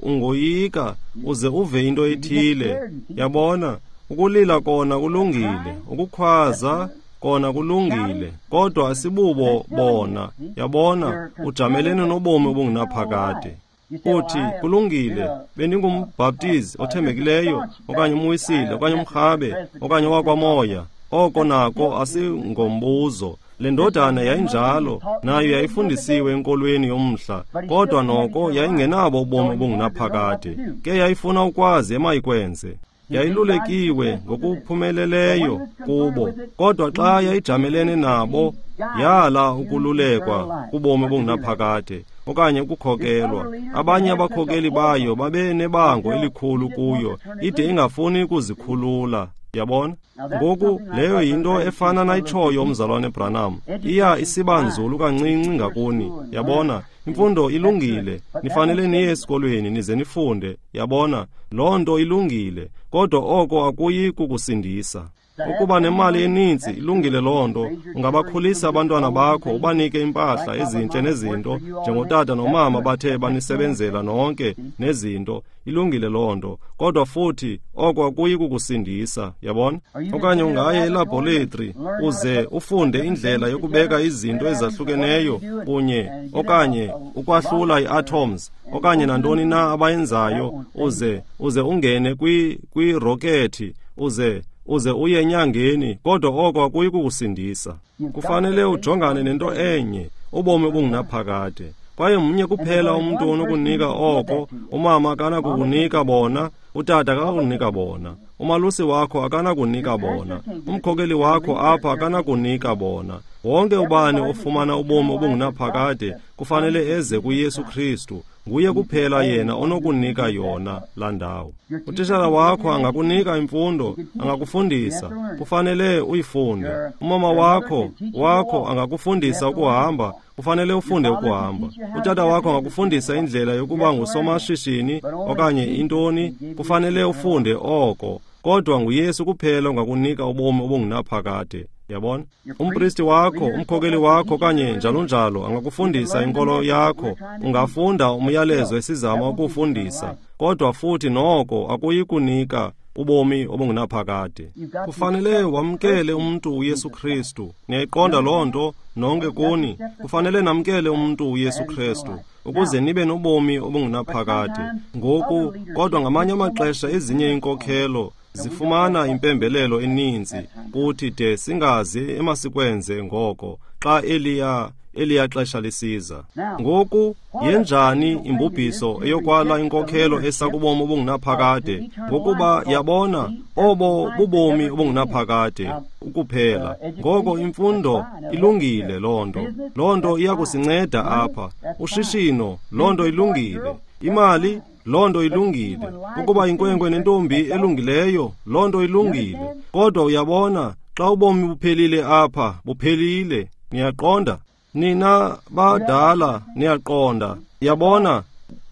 ungoyika uze uve into ethile. Yabona, ukulila kona kulungile, ukukhwaza kona kulungile, kodwa asibubo bona. Yabona, ujamelene nobomi obungunaphakade. Uthi, kulungile, bendingumbhaptizi othembekileyo, okanye umwisile, okanye umrhabe, okanye owakwamoya. Oko nako asingombuzo. Le ndodana yayinjalo, nayo yayifundisiwe enkolweni yomhla, kodwa noko yayingenabo ubomi obungunaphakade. Ke yayifuna ukwazi emayikwenze. Yayilulekiwe ngokuphumeleleyo kubo, kodwa xa yayijamelene nabo, yala ukululekwa kubomi obungunaphakade okanye ukukhokelwa. Abanye abakhokeli bayo babenebango elikhulu kuyo, ide ingafuni ukuzikhulula. Yabona? Ngoku leyo yinto efana nayitshoyo umzalwane Branham. Iya isiba nzulu kancinci ngakuni. Yabona, imfundo ilungile, nifanele niye esikolweni nize nifunde. Yabona, loo nto ilungile, kodwa oko akuyi kukusindisa. Ukuba nemali eninzi ilungile loo nto, ungabakhulisa abantwana bakho, ubanike impahla ezintle nezinto, njengotata nomama bathe banisebenzela nonke nezinto, ilungile loo nto, kodwa futhi oko akuyi kukusindisa. Yabona? Okanye ungaye elaboratory uze ufunde indlela yokubeka izinto ezahlukeneyo kunye, okanye ukwahlula ii-atoms, okanye nantoni na abayenzayo, uze uze ungene kwi kwirokethi, uze uze uye enyangeni, kodwa oko akuyi kukusindisa. Kufanele ujongane nento enye, ubomi obungunaphakade. Kwaye mnye kuphela umntu onokunika oko. Umama akanakukunika bona, utata akanakunika bona, umalusi wakho akanakunika bona, umkhokeli wakho apha akanakunika bona. Wonke ubani ofumana ubomi obungunaphakade kufanele eze kuYesu Kristu. Nguye kuphela yena onokunika yona laa ndawo. Utitshala wakho angakunika imfundo, angakufundisa, kufanele uyifunde. Umama wakho wakho angakufundisa ukuhamba, kufanele ufunde ukuhamba. Utata wakho angakufundisa indlela yokuba ngusomashishini okanye intoni, kufanele ufunde oko. Kodwa nguYesu kuphela ongakunika ubomi obungunaphakade. Yabona? Umpristi wakho, umkhokeli wakho okanye njalo njalo angakufundisa inkolo yakho, ungafunda umyalezo esizama ukufundisa, kodwa futhi noko akuyi kunika ubomi obungunaphakade. Kufanele wamkele umntu uYesu Kristu. Niyayiqonda loo nto nonke kuni? Kufanele namkele umntu uYesu Kristu ukuze nibe nobomi obungunaphakade. Ngoku, kodwa ngamanye amaxesha ezinye inkokhelo zifumana impembelelo eninzi kuthi de singazi emasikwenze ngoko xa eliya eliya xesha lisiza. Ngoku yenjani imbubhiso eyokwala inkokhelo esakubomi obungunaphakade? Ngokuba yabona, obo bubomi obungunaphakade ukuphela. Ngoko imfundo ilungile loo nto. Loo nto iyakusinceda apha. Ushishino, loo nto ilungile. Imali, loo nto ilungile. Ukuba inkwenkwe nentombi elungileyo, loo nto ilungile. Kodwa uyabona, xa ubomi buphelile apha, buphelile. Niyaqonda? Nina badala niyaqonda. Yabona,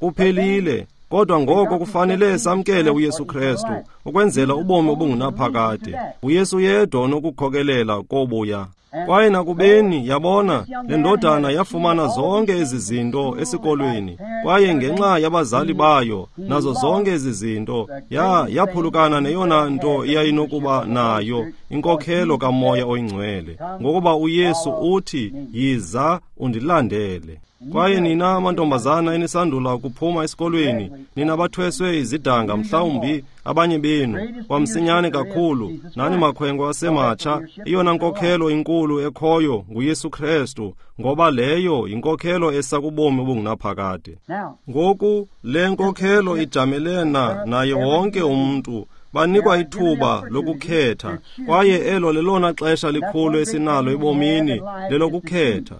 kuphelile. Kodwa ngoko kufanele samkele uYesu Kristu ukwenzela ubomi obungunaphakade. UYesu yedwa onokukhokelela kobuya. Kwaye nakubeni, yabona, le ndodana yafumana zonke ezi zinto esikolweni, kwaye ngenxa yabazali bayo nazo zonke ezi zinto, ya yaphulukana neyona nto iyayinokuba nayo, inkokhelo kaMoya oyiNgcwele, ngokuba uYesu uthi, yiza undilandele. Kwaye nina mantombazana enisandula ukuphuma esikolweni, nina bathweswe izidanga mhlawumbi abanye benu, kwamsinyane kakhulu, nani makhwenkwe asematsha, eyona nkokhelo inkulu ekhoyo nguYesu Krestu, ngoba leyo yinkokhelo esa kubomi obungunaphakade. Ngoku le nkokhelo ijamelena naye wonke umntu. Banikwa ithuba lokukhetha, kwaye elo lelona xesha likhulu esinalo ebomini, lelokukhetha.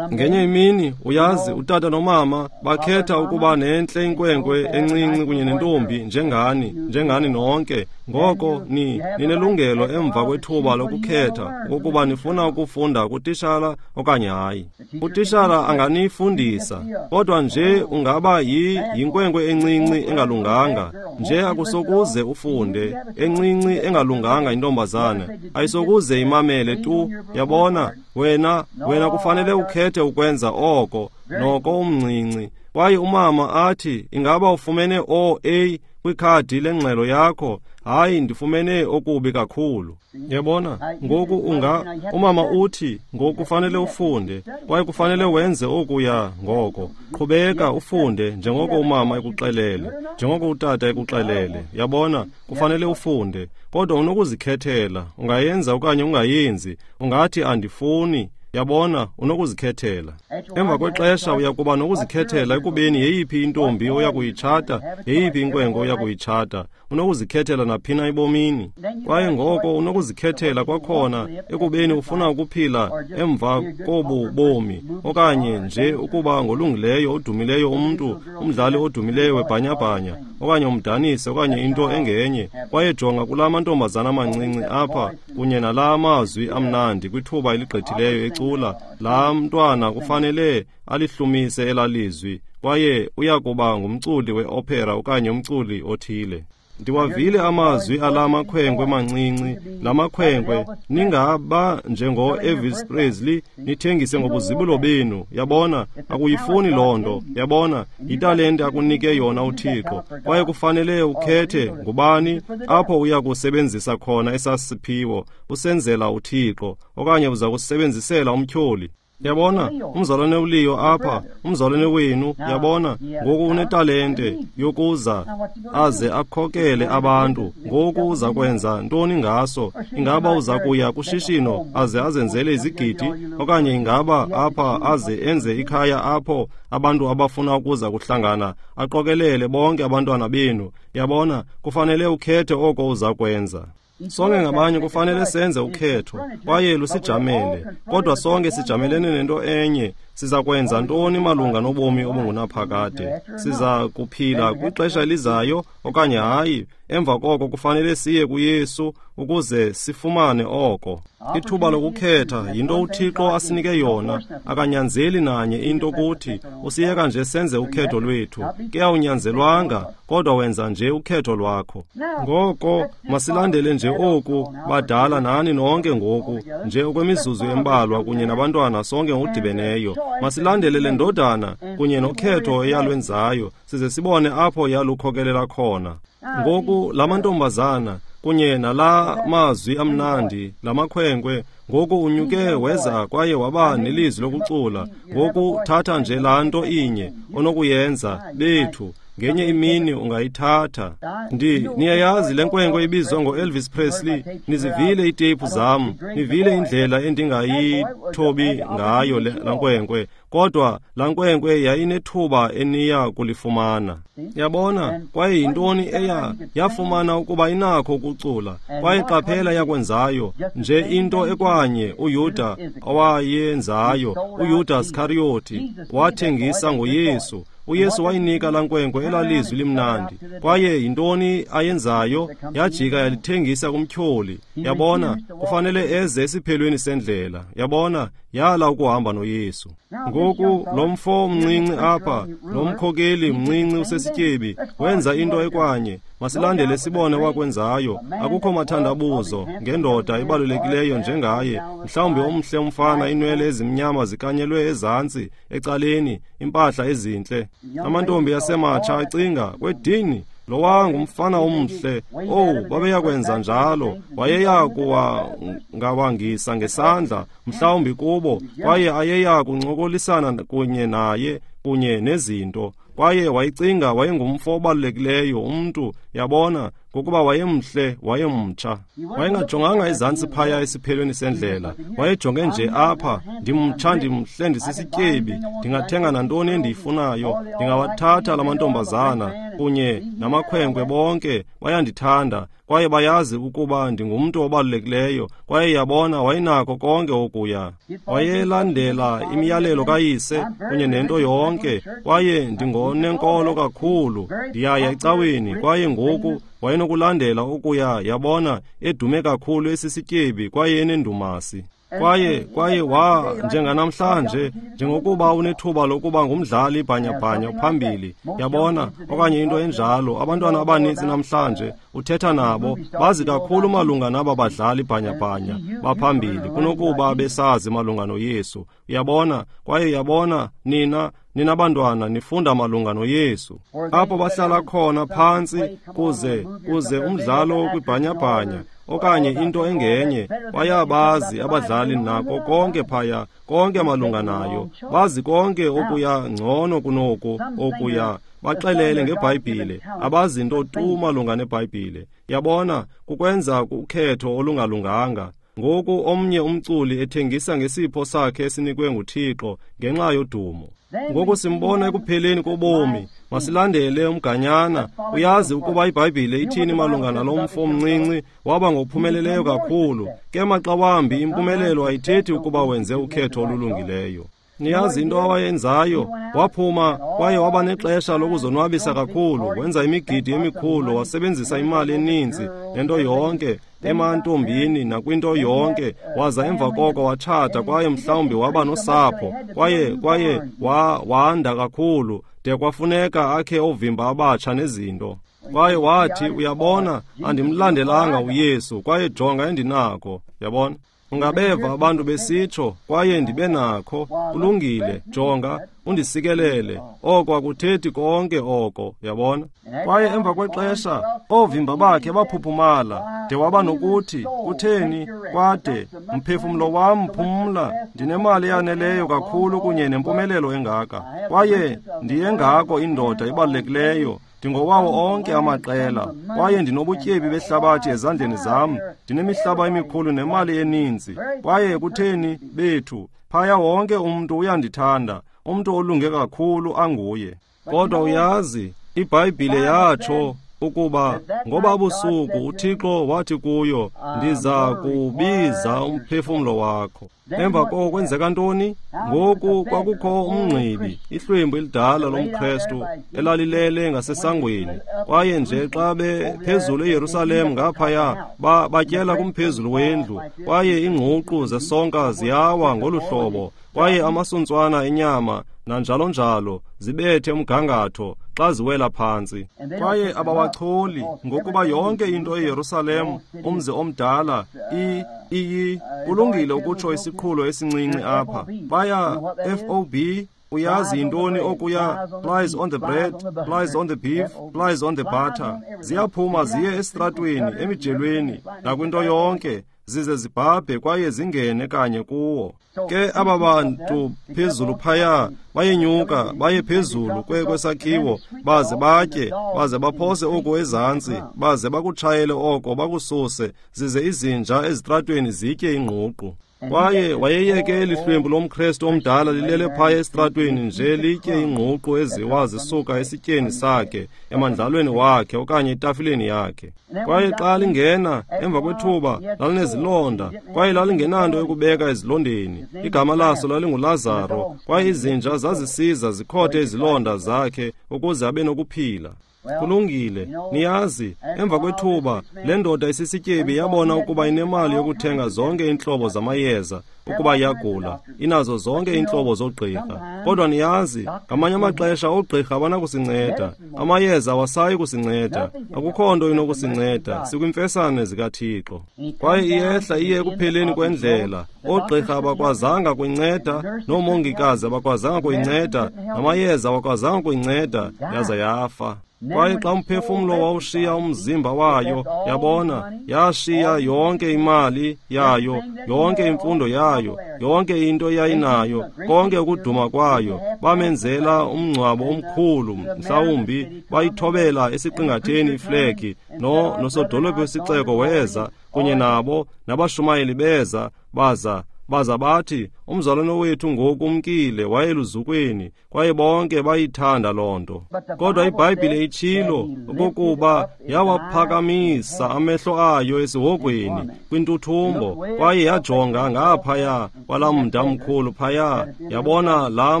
Ngenye imini, uyazi, utata nomama bakhetha ukuba nentle inkwenkwe encinci kunye nentombi njengani, njengani nonke. Ngoko ni ninelungelo emva kwethuba lokukhetha ukuba nifuna ukufunda kutishala okanye hayi. Utishala anganifundisa, kodwa nje ungaba yi yinkwenkwe encinci engalunganga, nje akusokuze ufunde, encinci engalunganga intombazana, ayisokuze imamele tu. Yabona, wena wena kufanele ukhethe ukwenza oko, noko umncinci. Kwaye umama athi, ingaba ufumene O A kwikhadi lengxelo yakho? Hayi, ndifumene okubi kakhulu. Yabona, ngoku unga umama uthi ngoku kufanele ufunde, kwaye kufanele wenze okuya ngoko. Qhubeka ufunde njengoko umama ekuxelele, njengoko utata ekuxelele. Yabona, kufanele ufunde, kodwa unokuzikhethela, ungayenza okanye ungayenzi. Ungathi andifuni. Yabona, unokuzikhethela. Emva kwexesha uyakuba nokuzikhethela ekubeni yeyiphi intombi oya kuyitshata, yeyiphi inkwenkwe oya kuyitshata. Unokuzikhethela naphina ebomini. Kwaye ngoko unokuzikhethela kwakhona ekubeni ufuna ukuphila emva kobu bomi, okanye nje ukuba ngolungileyo odumileyo umntu, umdlali odumileyo webhanyabhanya, okanye umdanisi, okanye into engenye. Kwaye jonga kulaa mantombazana amancinci apha kunye nalaa mazwi amnandi kwithuba eligqithileyo ecula, laa mntwana kufanele alihlumise elalizwi, kwaye uyakuba ngumculi weopera okanye umculi othile. Ndiwavile amazwi ala makhwenkwe mancinci, la makhwenkwe, ningaba njengo-Elvis Presley, nithengise ngobuzibulo benu. Yabona, akuyifuni loo nto. Yabona, yitalente akunike yona uThixo, kwaye kufanele ukhethe ngubani apho uya kusebenzisa khona esasiphiwo, usenzela uThixo okanye uza kusebenzisela umtyholi. Yabona, umzalwane uLeo apha, umzalwane wenu, yabona, ngoku unetalente yokuza aze akhokele abantu. Ngoku uza kwenza ntoni ngaso? Ingaba uza kuya kushishino aze azenzele izigidi, okanye ingaba apha aze enze ikhaya apho abantu abafuna ukuza kuhlangana, aqokelele bonke abantwana benu? Yabona, kufanele ukhethe oko uza kwenza. Sonke ngabanye kufanele senze ukhetho, kwaye lusijamele, kodwa sonke sijamelene nento enye. Siza kwenza ntoni malunga nobomi obungunaphakade? Siza kuphila kwixesha elizayo okanye hayi? Emva koko kufanele siye kuYesu ukuze sifumane oko. Ithuba lokukhetha yinto uThixo asinike yona. Akanyanzeli nanye into kuthi, usiyeka nje senze ukhetho lwethu. Ke awunyanzelwanga, kodwa wenza nje ukhetho lwakho. Ngoko masilandele nje oku, badala nani nonke ngoku, nje okwemizuzu embalwa kunye nabantwana sonke ngokudibeneyo. Masilandele le ndodana kunye nokhetho eyalwenzayo, size sibone apho yalukhokelela khona. Ngoku la mantombazana kunye nala mazwi amnandi, la makhwenkwe, ngoku unyuke weza kwaye waba nelizwi lokucula. Ngoku thatha nje laa nto inye onokuyenza, bethu, ngenye imini ungayithatha. Ndi niyayazi le nkwenkwe ibizwa ngo-Elvis Presley. Nizivile iiteyiphu zam, nivile indlela endingayithobi ngayo laa nkwenkwe, kodwa laa nkwenkwe yayinethuba eniya kulifumana. Yabona, kwaye yintoni eya yafumana ukuba inakho ukucula, kwaye qaphela yakwenzayo nje into ekwanye uYuda awayenzayo. uYuda Iskariyoti wathengisa ngoYesu. uYesu wayinika laa nkwenkwe elalizwi limnandi, kwaye yintoni ayenzayo? Yajika yalithengisa kumtyholi. Yabona, kufanele eze esiphelweni sendlela. Yabona, yala ukuhamba noYesu. Ngoku lo mfo mncinci apha, lo mkhokeli mncinci usesityebi, wenza into ekwanye. Masilandele sibone wakwenzayo. Akukho mathandabuzo ngendoda ebalulekileyo njengaye, mhlawumbi omhle umfana, inwele ezimnyama zikanyelwe ezantsi ecaleni, impahla ezintle. Amantombi asematsha acinga, kwedini, lowa ngumfana omhle. Oh, babeyakwenza njalo. Wayeya kuwangawangisa ngesandla mhlawumbi kubo, kwaye ayeya kuncokolisana kunye naye kunye nezinto. Kwaye wayicinga wayengumfo obalulekileyo umntu, yabona, ngokuba wayemhle, wayemtsha. Wayengajonganga ezantsi phaya esiphelweni sendlela, wayejonge nje apha, ndimtsha, ndimhle, ndisisityebi, ndingathenga nantoni endiyifunayo, ndingawathatha la mantombazana kunye namakhwenkwe, bonke bayandithanda kwaye bayazi ukuba ndingumntu obalulekileyo. Kwaye yabona, wayenako konke okuya. Wayelandela imiyalelo kayise kunye nento yonke, kwaye ndingonenkolo kakhulu, ndiyaya ecaweni. Kwaye ngoku wayenokulandela okuya, yabona, edume kakhulu, esisityebi kwaye enendumasi. Kwaye kwaye wa njenganamhlanje, njengokuba unethuba lokuba ngumdlali bhanyabhanya phambili, yabona, okanye into enjalo. Abantwana abaninzi namhlanje uthetha nabo bazi kakhulu malunga naba badlali bhanyabhanya baphambili kunokuba besazi malunga noYesu, uyabona. Kwaye yabona, nina nina bantwana nifunda malunga noYesu. Apho bahlala khona phantsi kuze kuze umdlalo kwibhanyabhanya okanye into engenye, bayabazi abadlali nako konke phaya, konke malunga nayo, bazi konke okuya ngcono kunoku okuya. Baxelele ngeBhayibhile, abazi nto tu malunga neBhayibhile. Yabona, kukwenza ukhetho olungalunganga. Ngoku omnye umculi ethengisa ngesipho sakhe esinikwe nguThixo ngenxa yodumo. Ngoku simbona ekupheleni kobomi. Masilandele umganyana. Uyazi ukuba iBhayibhile ithini malunga nalo mfo omncinci, waba ngophumeleleyo kakhulu. Ke maxa wambi impumelelo ayithethi ukuba wenze ukhetho olulungileyo. Niyazi into awayenzayo? Waphuma kwaye waba nexesha lokuzonwabisa kakhulu, wenza imigidi emikhulu, wasebenzisa imali eninzi nento yonke emantombini nakwinto yonke, waza emva koko watshata kwaye mhlawumbi waba nosapho, kwaye kwaye wa, wanda kakhulu de kwafuneka akhe ovimba abatsha nezinto. Kwaye wathi, uyabona, andimlandelanga uYesu, kwaye jonga endinako, yabona. Ungabeva abantu besitsho, kwaye ndibe nakho, kulungile, jonga, undisikelele. Oko akuthethi konke oko, yabona. Kwaye emva kwexesha, oovimba bakhe baphuphumala, de waba nokuthi, kutheni, kwade, mphefumlo wam phumla, ndinemali eyaneleyo kakhulu kunye nempumelelo engaka. Kwaye ndiyengako indoda ebalulekileyo, ndingowawo onke amaqela, kwaye ndinobutyebi behlabathi ezandleni zam, ndinemihlaba emikhulu nemali eninzi. Kwaye kutheni, bethu, phaya wonke umntu uyandithanda, umntu olunge kakhulu anguye. Kodwa uyazi, iBhayibhile yatsho ukuba ngoba busuku uThixo wathi kuyo, ndiza kubiza umphefumlo wakho. Emva koko kwenzeka ntoni? Ngoku kwakukho umngqibi, ihlwempu elidala lomKrestu elalilele ngasesangweni. Kwaye nje xa bephezulu eYerusalem ngaphaya, ba batyela kumphezulu wendlu, kwaye iingququ zesonka ziyawa ngolu hlobo, kwaye amasuntswana enyama nanjalo njalo zibethe umgangatho xa ziwela phantsi. Kwaye abawacholi, ngokuba yonke into eYerusalem, umzi omdala, i iyi kulungile ukutsho isiqhulo esincinci apha. Baya F O B, uyazi yintoni okuya, flies on the bread, flies on the beef, flies on the butter. Ziyaphuma ziye esitratweni, emijelweni, nakwinto yonke, zize zibhabhe kwaye zingene kanye kuwo. Ke aba bantu phezulu phaya bayenyuka baye phezulu kwesakhiwo, baze batye, baze baphose oku ezantsi, baze bakutshayele oko bakususe, zize izinja ezitratweni zitye ingququ. Kwaye wayeyeke eli hlwempu lomKrestu omdala lilele phaya esitratweni nje litye ingququ eziwa zisuka esityeni sakhe, emandlalweni wakhe okanye etafileni yakhe. Kwaye xa lingena emva kwethuba lalinezilonda, kwaye lalingenanto yokubeka ezilondeni. Igama laso lalinguLazaro, kwaye izinja zazisiza zikhothe izilonda zakhe ukuze abe nokuphila. Kulungile, niyazi, emva kwethuba, le ndoda isisityebi yabona ukuba inemali yokuthenga zonke iintlobo zamayeza, ukuba iyagula, inazo zonke iintlobo zoogqirha. Kodwa niyazi, ngamanye amaxesha oogqirha abanakusinceda, amayeza awasayi kusinceda, akukho nto inokusinceda, sikwimfesane zikaThixo. Kwaye iyehla iye ekupheleni kwendlela, oogqirha abakwazanga kuyinceda, noomongikazi abakwazanga kuyinceda, namayeza awakwazanga kuyinceda, yaza yafa. Kwaye xa umphefumlo wawushiya umzimba wayo, yabona, yashiya yonke imali yayo, yonke imfundo yayo, yonke into eyayinayo, konke ukuduma kwayo. Bamenzela umngcwabo omkhulu, mhlawumbi bayithobela esiqingatheni iflegi, no nosodolophu wesixeko weza kunye nabo, nabashumayeli beza, baza baza bathi, umzalwane wethu ngoku umkile, wayeluzukweni, kwaye bonke bayithanda loo nto. Kodwa iBhayibhile itshilo okokuba yawaphakamisa amehlo ayo esihogweni kwintuthumbo, kwaye yajonga ngaphaya kwalaa mda mkhulu phaya, yabona laa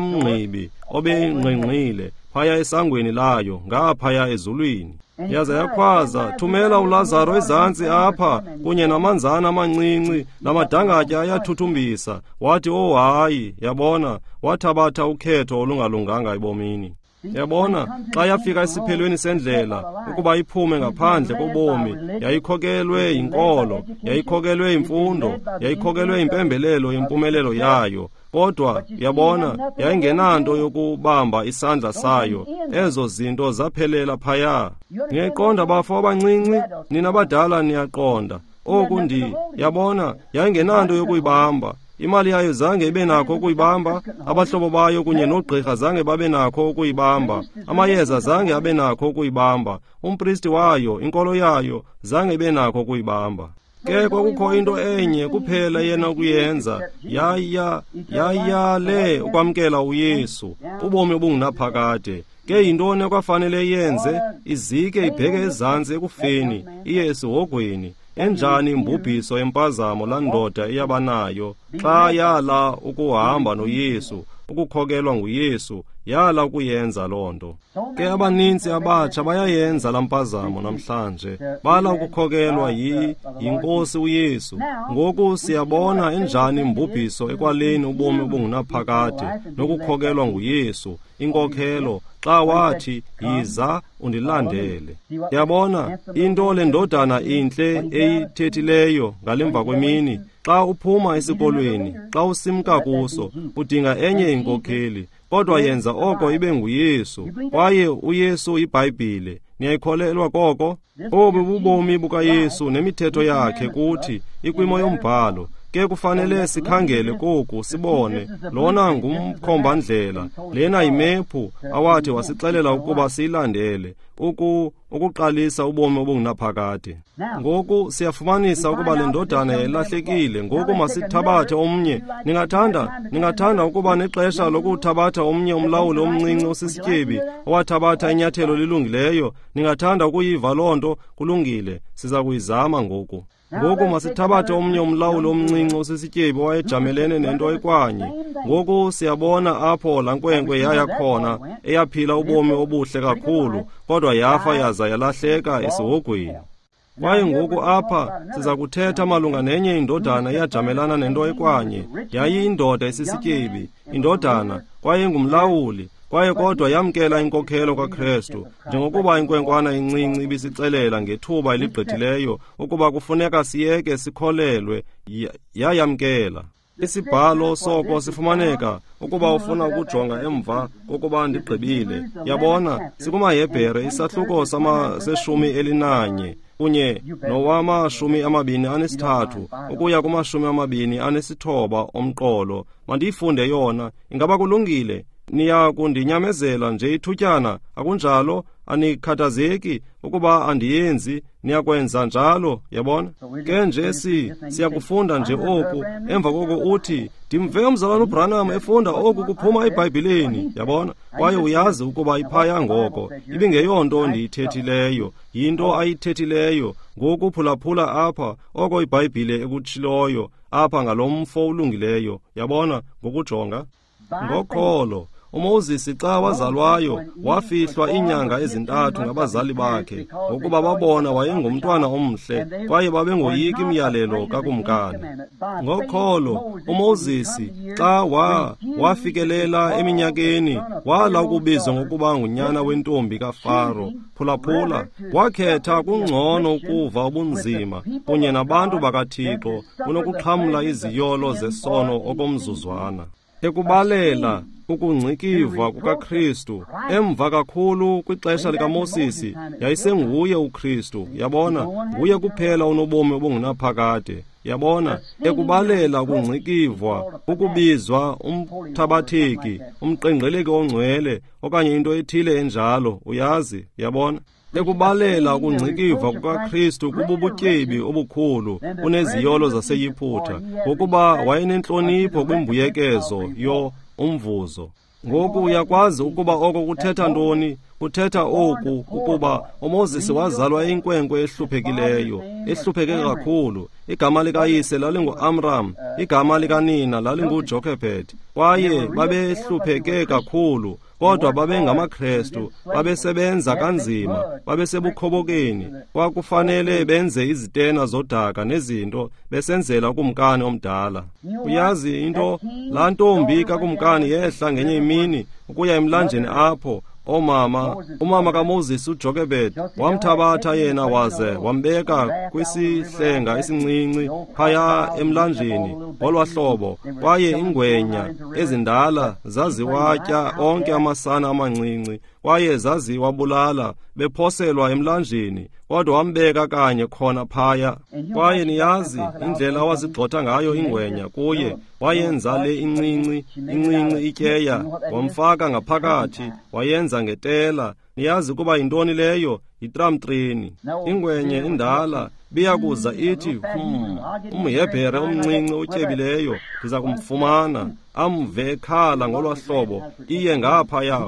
mngqibi obengqingqile phaya esangweni layo, ngaphaya ezulwini. Yaza yakhwaza, thumela uLazaro ezantsi apha kunye namanzana amancinci namadangatya ayathuthumbisa. Wathi, oh hayi, yabona, wathabatha ukhetho olungalunganga ebomini. Yabona, xa yafika esiphelweni sendlela ukuba iphume ngaphandle kobomi, yayikhokelwe yinkolo, yayikhokelwe yimfundo, yayikhokelwe yimpembelelo yempumelelo yayo. Kodwa yabona, yayingenanto yokubamba isandla sayo. Ezo zinto zaphelela phaya. Niyayiqonda bafo abancinci, nina badala niyaqonda. Oku ndi, yabona, yayingenanto yokuyibamba. Imali yayo zange ibe nakho ukuyibamba, abahlobo bayo kunye noogqirha zange babe nakho ukuyibamba, amayeza zange abe nakho ukuyibamba, umpristi wayo, inkolo yayo, zange ibe nakho ukuyibamba. Ke kwakukho into enye kuphela yena ukuyenza, yaya yayale ukwamkela uYesu, ubomi obungunaphakade. Ke yintoni ekwafanele yenze? Izike ibheke ezantsi ekufeni, iye esihogweni. Enjani imbubhiso empazamo laa ndoda eyabanayo xa yala ukuhamba noYesu, ukukhokelwa nguYesu, yala ukuyenza loo nto. Ke abanintsi abatsha bayayenza laa mpazamo namhlanje, bala ukukhokelwa yi yinkosi uYesu. Ngoku siyabona enjani imbubhiso ekwaleni ubomi obungunaphakade nokukhokelwa nguYesu, inkokhelo, xa wathi, yiza undilandele. Yabona, into le ndodana intle eyithethileyo ngalemva kwemini, xa uphuma esikolweni, xa usimka kuso, udinga enye inkokheli, kodwa yenza oko ibe nguYesu, kwaye uYesu iBhayibhile. Niyayikholelwa koko? Obu bubomi bukaYesu nemithetho yakhe kuthi ikwimo yombhalo. Ke kufanele sikhangele koku sibone lona ngumkhombandlela, lena yimephu awathi wasixelela ukuba siyilandele uku ukuqalisa ubomi obungunaphakade. Ngoku siyafumanisa ukuba le ndodana yayilahlekile. Ngoku masithabathe omnye. Ningathanda ningathanda ukuba nexesha lokuthabatha omnye umlawuli omncinci osisityebi owathabatha inyathelo lilungileyo? Ningathanda ukuyiva loo nto? Kulungile, siza kuyizama ngoku. Ngoku masithabathe omnye umlawuli omncinci osisityebi owayejamelene nento ekwanye. Ngoku siyabona apho laa nkwenkwe yaya khona, eyaphila ubomi obuhle kakhulu, kodwa yafa yaza yalahleka esihogweni. Kwaye ngoku apha siza kuthetha malunga nenye indodana eyajamelana nento ekwanye. Yayiyindoda esisityebi, indodana, kwaye ngumlawuli, kwaye kodwa yamkela inkokhelo kaKrestu, njengokuba inkwenkwana incinci ibisixelela ngethuba eligqithileyo ukuba kufuneka siyeke sikholelwe, yayamkela. Isibhalo soko sifumaneka ukuba ufuna ukujonga emva kokuba ndigqibile. Yabona, sikumaHebhere isahluko sama seshumi elinanye kunye nowamashumi amabini anesithathu ukuya kumashumi amabini anesithoba omqolo. Mandiyifunde yona. Ingaba kulungile? Niya kundinyamezela nje ithutyana, akunjalo? Anikhathazeki ukuba andiyenzi, niyakwenza njalo, yabona? Ke nje si siyakufunda nje oku, emva koko uthi, ndimve umzalwana uBranham efunda oku kuphuma eBhayibhileni, yabona? Kwaye uyazi ukuba iphaya ngoko, ibingeyonto ndiyithethileyo, yinto ayithethileyo. Ngoku phulaphula apha oko iBhayibhile ekutshiloyo apha ngalo mfo ulungileyo, yabona? Ngokujonga ngokholo uMoses xa wazalwayo wafihlwa iinyanga ezintathu ngabazali bakhe, ngokuba babona wayengumntwana omhle, kwaye babengoyiki imiyalelo kakumkani. Ngokholo uMoses xa wa wafikelela eminyakeni, wala ukubizwa ngokuba ngunyana wentombi kaFaro. Phulaphula, wakhetha kungcono ukuva ubunzima kunye nabantu bakaThixo kunokuxhamla iziyolo zesono okomzuzwana. Ekubalela ukungcikivwa kukaKristu emva kakhulu kwixesha likaMoses, yayisenguye uKristu. Yabona, nguye kuphela onobomi obungunaphakade. Yabona, ekubalela ukungcikivwa, ukubizwa umthabatheki, umqengqeleki ongcwele, okanye into ethile enjalo, uyazi. Yabona, ekubalela ukungcikivwa kukaKristu kububutyebi obukhulu kuneziyolo zaseYiphutha, ngokuba wayenentlonipho kwimbuyekezo yo umvuzo. Ngoku uyakwazi ukuba oko kuthetha ntoni? Kuthetha oku ukuba uMoses wazalwa inkwenkwe ehluphekileyo, ehlupheke kakhulu. Igama likayise lalinguAmram, igama likanina lalinguJochebed, kwaye babehlupheke kakhulu. Kodwa babengamaKrestu, babesebenza kanzima, babesebukhobokeni. Kwakufanele benze izitena zodaka nezinto besenzela ukumkani omdala. Uyazi into, laa ntombi kakumkani yehla ngenye imini ukuya emlanjeni apho omama, umama kaMoses uJochebed wamthabatha yena waze wambeka kwisihlenga esincinci phaya emlanjeni ngolwa hlobo, kwaye ingwenya ezindala zaziwatya onke amasana amancinci, kwaye zaziwabulala bephoselwa emlanjeni, kodwa wambeka kanye khona phaya. Kwaye niyazi indlela awazigxotha ngayo ingwenya kuye, wayenza le incinci incinci ityeya, wamfaka ngaphakathi, wayenza ngetela. Niyazi kuba yintoni leyo? Yitramtreni. Ingwenye indala biyakuza ithi, hmm, umHebhere omncinci otyebileyo ndiza kumfumana. Amve ekhala ngolwa hlobo, iye ngaphaya.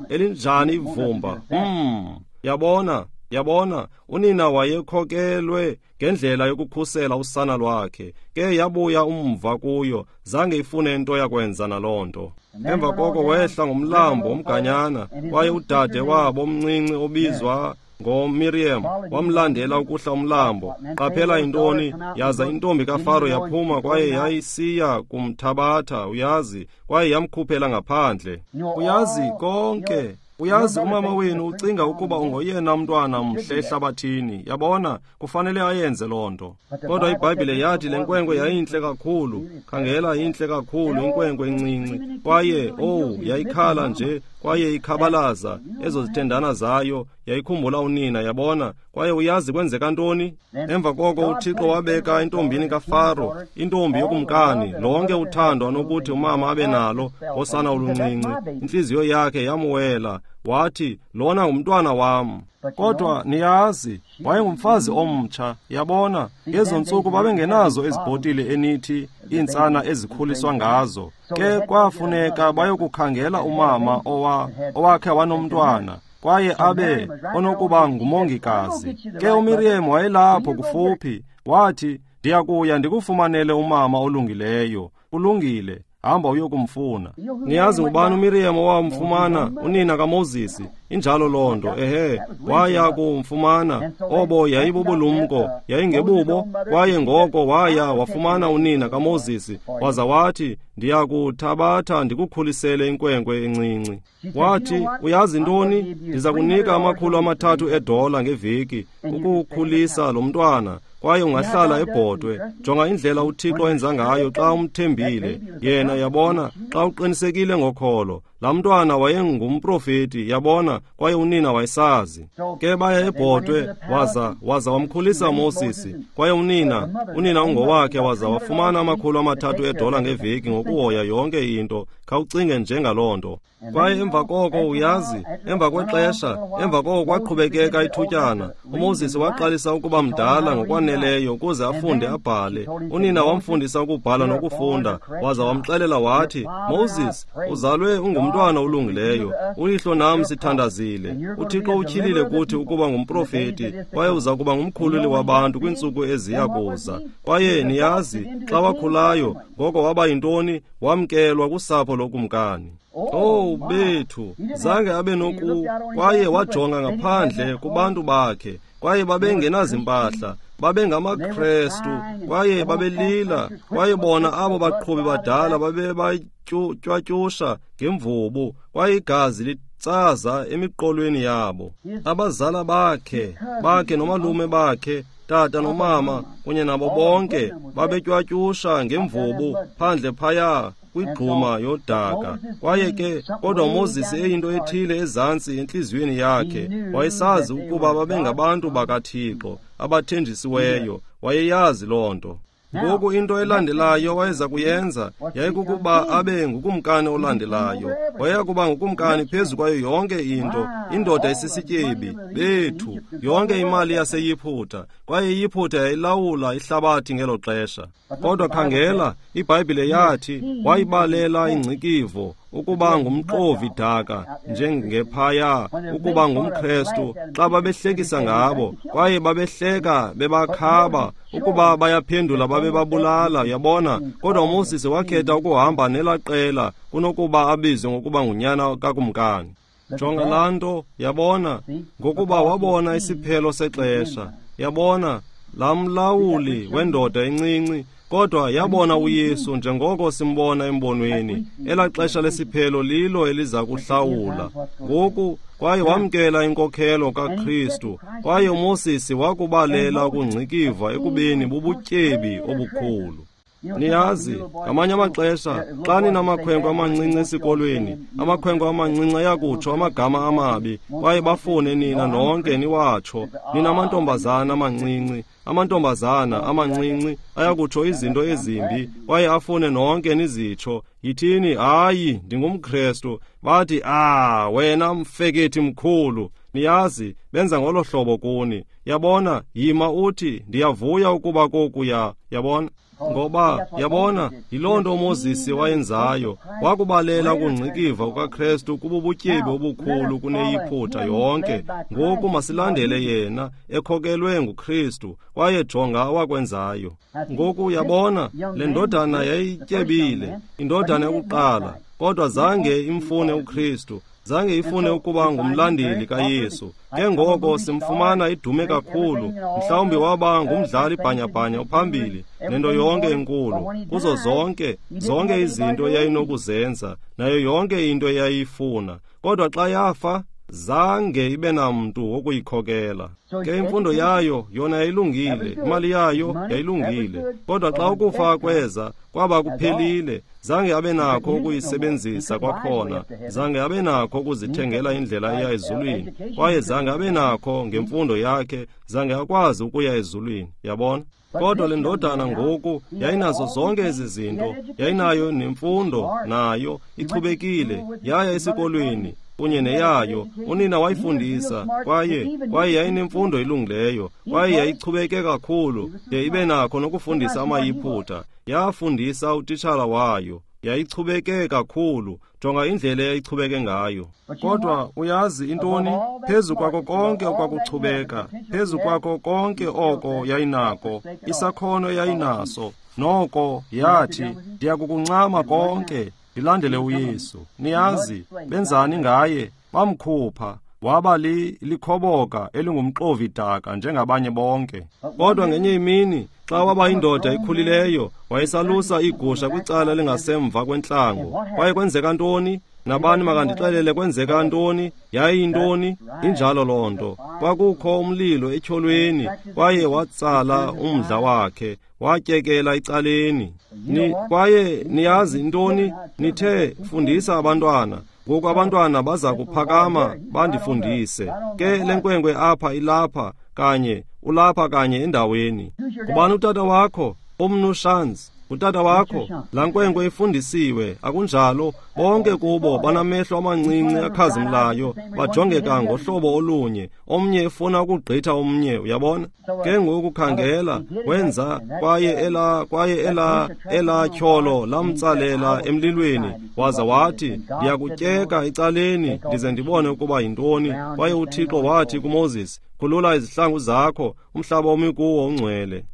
Elinjani ivumba! Hmm, yabona, yabona, unina wayekhokelwe ngendlela yokukhusela usana lwakhe. Ke yabuya umva kuyo, zange ifune into yakwenza naloo nto. Emva koko wehla ngomlambo omganyana, kwaye udade wabo omncinci obizwa ngoMiriam wamlandela ukuhla umlambo. Qaphela intoni? Yaza intombi kaFaro yaphuma, kwaye yayisiya kumthabatha, uyazi, kwaye yamkhuphela ngaphandle. Uyazi konke. Uyazi umama wenu ucinga ukuba ungoyena mntwana mhle ehlabathini. Yabona, kufanele ayenze loo nto. Kodwa iBhayibhile yathi le nkwenkwe yayintle kakhulu. Khangela, intle kakhulu inkwenkwe encinci. Kwaye, oh, yayikhala nje, kwaye ikhabalaza ezo zithendana zayo, yayikhumbula unina. Yabona, kwaye uyazi kwenzeka ntoni? Emva koko uThixo wabeka intombini kaFaro, intombi yokumkani, lonke uthando anokuthi umama abe nalo ngosana oluncinci. Intliziyo yakhe yamwela, wathi, lona ngumntwana wam. Kodwa niyazi, wayengumfazi omtsha. Yabona, ngezo ntsuku babengenazo ezibhotile enithi iintsana ezikhuliswa ngazo. Ke kwafuneka bayokukhangela umama owa owakhe wanomntwana, kwaye abe onokuba ngumongikazi. Ke uMiriam wayelapho kufuphi, wathi, ndiyakuya ndikufumanele umama olungileyo. Kulungile, hamba uyokumfuna. Niyazi ngubani uMiriam owamfumana? Unina kaMoses. Injalo loo nto. Ehe, waya kumfumana. Obo yayibubulumko, yayingebubo. Kwaye ngoko waya wafumana unina kaMoses, waza wathi, ndiyakuthabatha ndikukhulisele inkwenkwe encinci. Wathi, uyazi ntoni? Ndiza kunika amakhulu amathathu edola ngeveki ukukhulisa lo mntwana, kwaye ungahlala ebhodwe. Jonga indlela uThixo enza ngayo xa umthembile yena. Yabona, xa uqinisekile ngokholo. Laa mntwana wayengumprofeti, yabona, kwaye unina wayesazi. Ke baya ebhodwe, waza waza wamkhulisa uMoses, kwaye unina unina ungowakhe, waza wafumana amakhulu amathathu edola ngeveki ngokuhoya yonke into. Khawucinge njengaloo nto. Kwaye emva koko, uyazi, emva kwexesha, emva koko kwaqhubekeka ithutyana, uMoses waqalisa ukuba mdala ngokwaneleyo ukuze afunde abhale. Unina wamfundisa ukubhala nokufunda, waza wamxelela wathi, Moses, uzalwe ungumntwana olungileyo. Uyihlo nam sithandazile. uThixo utyhilile kuthi ukuba ngumprofeti, kwaye uza kuba ngumkhululi wabantu kwiintsuku eziya kuza. Kwaye niyazi, xa wakhulayo, ngoko waba yintoni? Wamkelwa kusapho lokumkani. Oh bethu, zange abe noku, kwaye wajonga ngaphandle kubantu bakhe, kwaye babengenazimpahla, babengamaKrestu, kwaye babelila, kwaye bona abo baqhubi badala babebatywatyusha ngemvubu, kwaye igazi litsaza emiqolweni yabo. Abazala bakhe, bakhe nomalume bakhe, tata nomama kunye nabo bonke babetywatyusha ngemvubu phandle phaya kwigquma yodaka. Kwaye ke kodwa uMoses eyinto ethile ezantsi entliziyweni yakhe, wayesazi ukuba babengabantu bakaThixo abathenjisiweyo, wayeyazi loo nto. Ngoku into elandelayo wayeza kuyenza yayikukuba abe ngukumkani olandelayo. Wayeyakuba ngukumkani phezu kwayo yonke into, indoda esisityebi bethu, yonke imali yaseYiphutha, kwaye iYiphutha yayilawula ihlabathi ngelo xesha. Kodwa khangela, iBhayibhile yathi wayibalela ingcikivo ukuba ngumxovi daka njengephaya, ukuba ngumKrestu, xa babehlekisa ngabo, kwaye babehleka bebakhaba, ukuba bayaphendula babebabulala, yabona. Kodwa uMoses wakhetha ukuhamba nelaa qela kunokuba abizwe ngokuba ngunyana kakumkani. Jonga laa nto, yabona, ngokuba wabona isiphelo sexesha, yabona, laa mlawuli wendoda encinci. Kodwa yabona uYesu njengoko simbona embonweni, elaa xesha lesiphelo lilo eliza kuhlawula. Ngoku kwaye wamkela inkokhelo kaKristu, kwaye uMoses wakubalela ukungcikiva ekubeni bubutyebi obukhulu. Niyazi, ngamanye amaxesha xa ninamakhwenkwe amancinci esikolweni, amakhwenkwe amancinci ayakutsho amagama amabi, kwaye bafune nina nonke niwatsho. Ninamantombazana amancinci, amantombazana amancinci ayakutsho izinto ezimbi, kwaye afune nonke nizitsho. Yithini, hayi, ndingumKrestu. Bathi, ah, wena mfekethi mkhulu. Niyazi, benza ngolo hlobo kuni. Yabona, yima uthi, ndiyavuya ukuba kokuya, yabona. Ngoba, yabona, yiloo nto uMoses wayenzayo. Wakubalela ukungcikiva kukaKrestu kububutyebi obukhulu kuneYiphutha yonke. Ngoku masilandele yena, ekhokelwe nguKristu, kwaye jonga awakwenzayo. Ngoku yabona, le ndodana yayityebile, indodana yokuqala, kodwa zange imfune uKristu, zange ifune ukuba ngumlandeli kaYesu. Ke ngoko simfumana idume kakhulu, mhlawumbi waba ngumdlali bhanyabhanya ophambili nento yonke enkulu, kuzo zonke zonke izinto eyayinokuzenza, nayo yonke into eyayifuna. Kodwa xa yafa, zange ibe namntu wokuyikhokela. Ke imfundo yayo yona yayilungile, imali yayo yayilungile, kodwa xa ukufa kweza, kwaba kuphelile. Zange abe nakho ukuyisebenzisa kwakhona, zange abe nakho ukuzithengela indlela eya ezulwini, kwaye zange abe nakho ngemfundo yakhe, zange akwazi ukuya ezulwini, yabona. Kodwa le ndodana ngoku yayinazo zonke ezi zinto, yayinayo nemfundo, nayo ichubekile, yaya esikolweni kunye neyayo, unina wayifundisa, kwaye kwaye yayinemfundo elungileyo, kwaye yayichubeke kakhulu de ibe nakho nokufundisa amaYiphutha. Yafundisa utitshala wayo, yayichubeke kakhulu. Jonga indlela eyayichubeke ngayo. Kodwa uyazi intoni? Phezu kwako konke okwakuchubeka, phezu kwako konke oko yayinako, isakhono yayinaso, noko yathi, ndiyakukuncama konke, ndilandele uYesu. Niyazi, benzani ngaye? Bamkhupha, waba li likhoboka elingumxovi daka njengabanye bonke. Kodwa ngenye imini, xa waba indoda ekhulileyo, wayesalusa iigusha kwicala elingasemva kwentlango. Kwaye kwenzeka ntoni? Nabani makandixelele kwenzeka ntoni? Yayiyintoni? Injalo loo nto. Kwakukho umlilo etyholweni, kwaye watsala umdla wakhe, watyekela ecaleni. Ni, kwaye niyazi intoni? Nithe, fundisa abantwana. Ngoku abantwana baza kuphakama bandifundise. Ke le nkwenkwe apha ilapha kanye, ulapha kanye endaweni. Ngubani utata wakho? Umnu Shands. Utata wakho, laa nkwenkwe ifundisiwe, akunjalo? Bonke kubo banamehlo amancinci akhazimlayo, bajongeka ngohlobo olunye, omnye efuna ukugqitha omnye, uyabona? Ke ngoku khangela, wenza, kwaye ela kwaye ela elaa tyholo lamtsalela emlilweni, waza wathi, ndiyakutyeka ecaleni ndize ndibone ukuba yintoni. Kwaye uThixo wathi kuMoses, khulula izihlangu zakho, umhlaba omi kuwo ungcwele.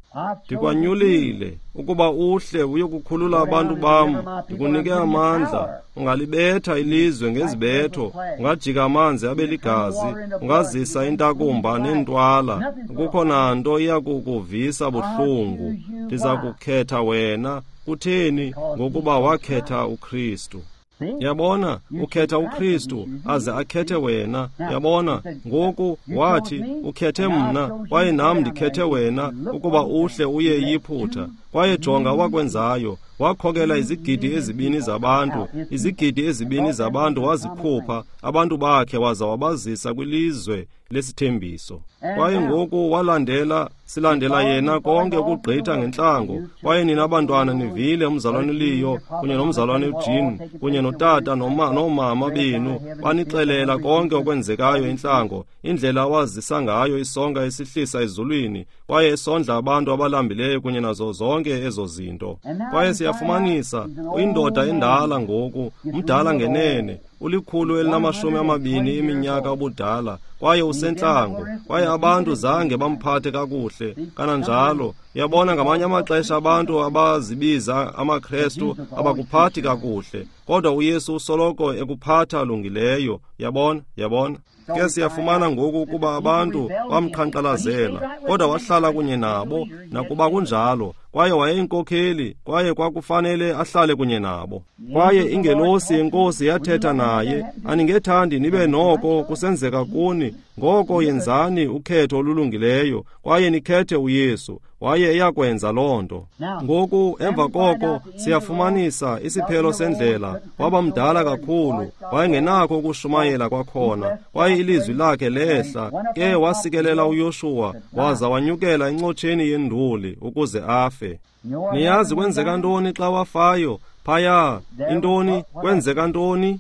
Ndikwanyulile ukuba uhle uyokukhulula abantu bam, ndikunike amandla. Ungalibetha ilizwe ngezibetho, ungajika amanzi abe ligazi, ungazisa intakumba neentwala. Akukho nanto iyakukuvisa buhlungu. Ndiza kukhetha wena. Kutheni? Ngokuba wakhetha uKristu. Yabona, ukhetha uKristu aze akhethe wena. Yabona, ngoku wathi ukhethe mna kwaye nam ndikhethe wena ukuba uhle uye eYiphutha. Kwaye jonga wakwenzayo, wakhokela izigidi ezibini zabantu, izigidi ezibini zabantu wazikhupha abantu bakhe waza wabazisa kwilizwe lesithembiso. Kwaye ngoku walandela, silandela yena konke ukugqitha ngentlango. Kwaye nina bantwana nivile umzalwane Leo kunye nomzalwane uJean kunye notata noma noomama benu banixelela konke okwenzekayo entlango, indlela awazisa ngayo isonka esihlisa ezulwini kwaye esondla abantu abalambileyo kunye nazo zonke ezo zinto. Kwaye siyafumanisa uyindoda endala ngoku, mdala ngenene, ulikhulu elinamashumi amabini eminyaka ubudala, kwaye usentlango, kwaye abantu zange bamphathe kakuhle kananjalo. Yabona, ngamanye amaxesha abantu abazibiza amaKrestu abakuphathi kakuhle, kodwa uYesu usoloko ekuphatha lungileyo. Yabona, yabona. Ke siyafumana ngoku ukuba abantu bamqhankqalazela, kodwa wahlala kunye nabo nakuba kunjalo, kwaye wayeyinkokheli, kwaye kwakufanele ahlale kunye nabo. Kwaye ingelosi yenkosi yathetha naye, aningethandi nibe noko kusenzeka kuni, ngoko yenzani ukhetho olulungileyo, kwaye nikhethe uYesu. Waye eyakwenza loo nto. Ngoku emva koko siyafumanisa isiphelo sendlela, waba mdala kakhulu, wayengenakho ukushumayela kwakhona, kwaye ilizwi lakhe lehla. Ke wasikelela uYoshuwa, waza wanyukela encotsheni yenduli ukuze afe. Niyazi kwenzeka ntoni xa wafayo? Phaya, intoni? Kwenzeka ntoni?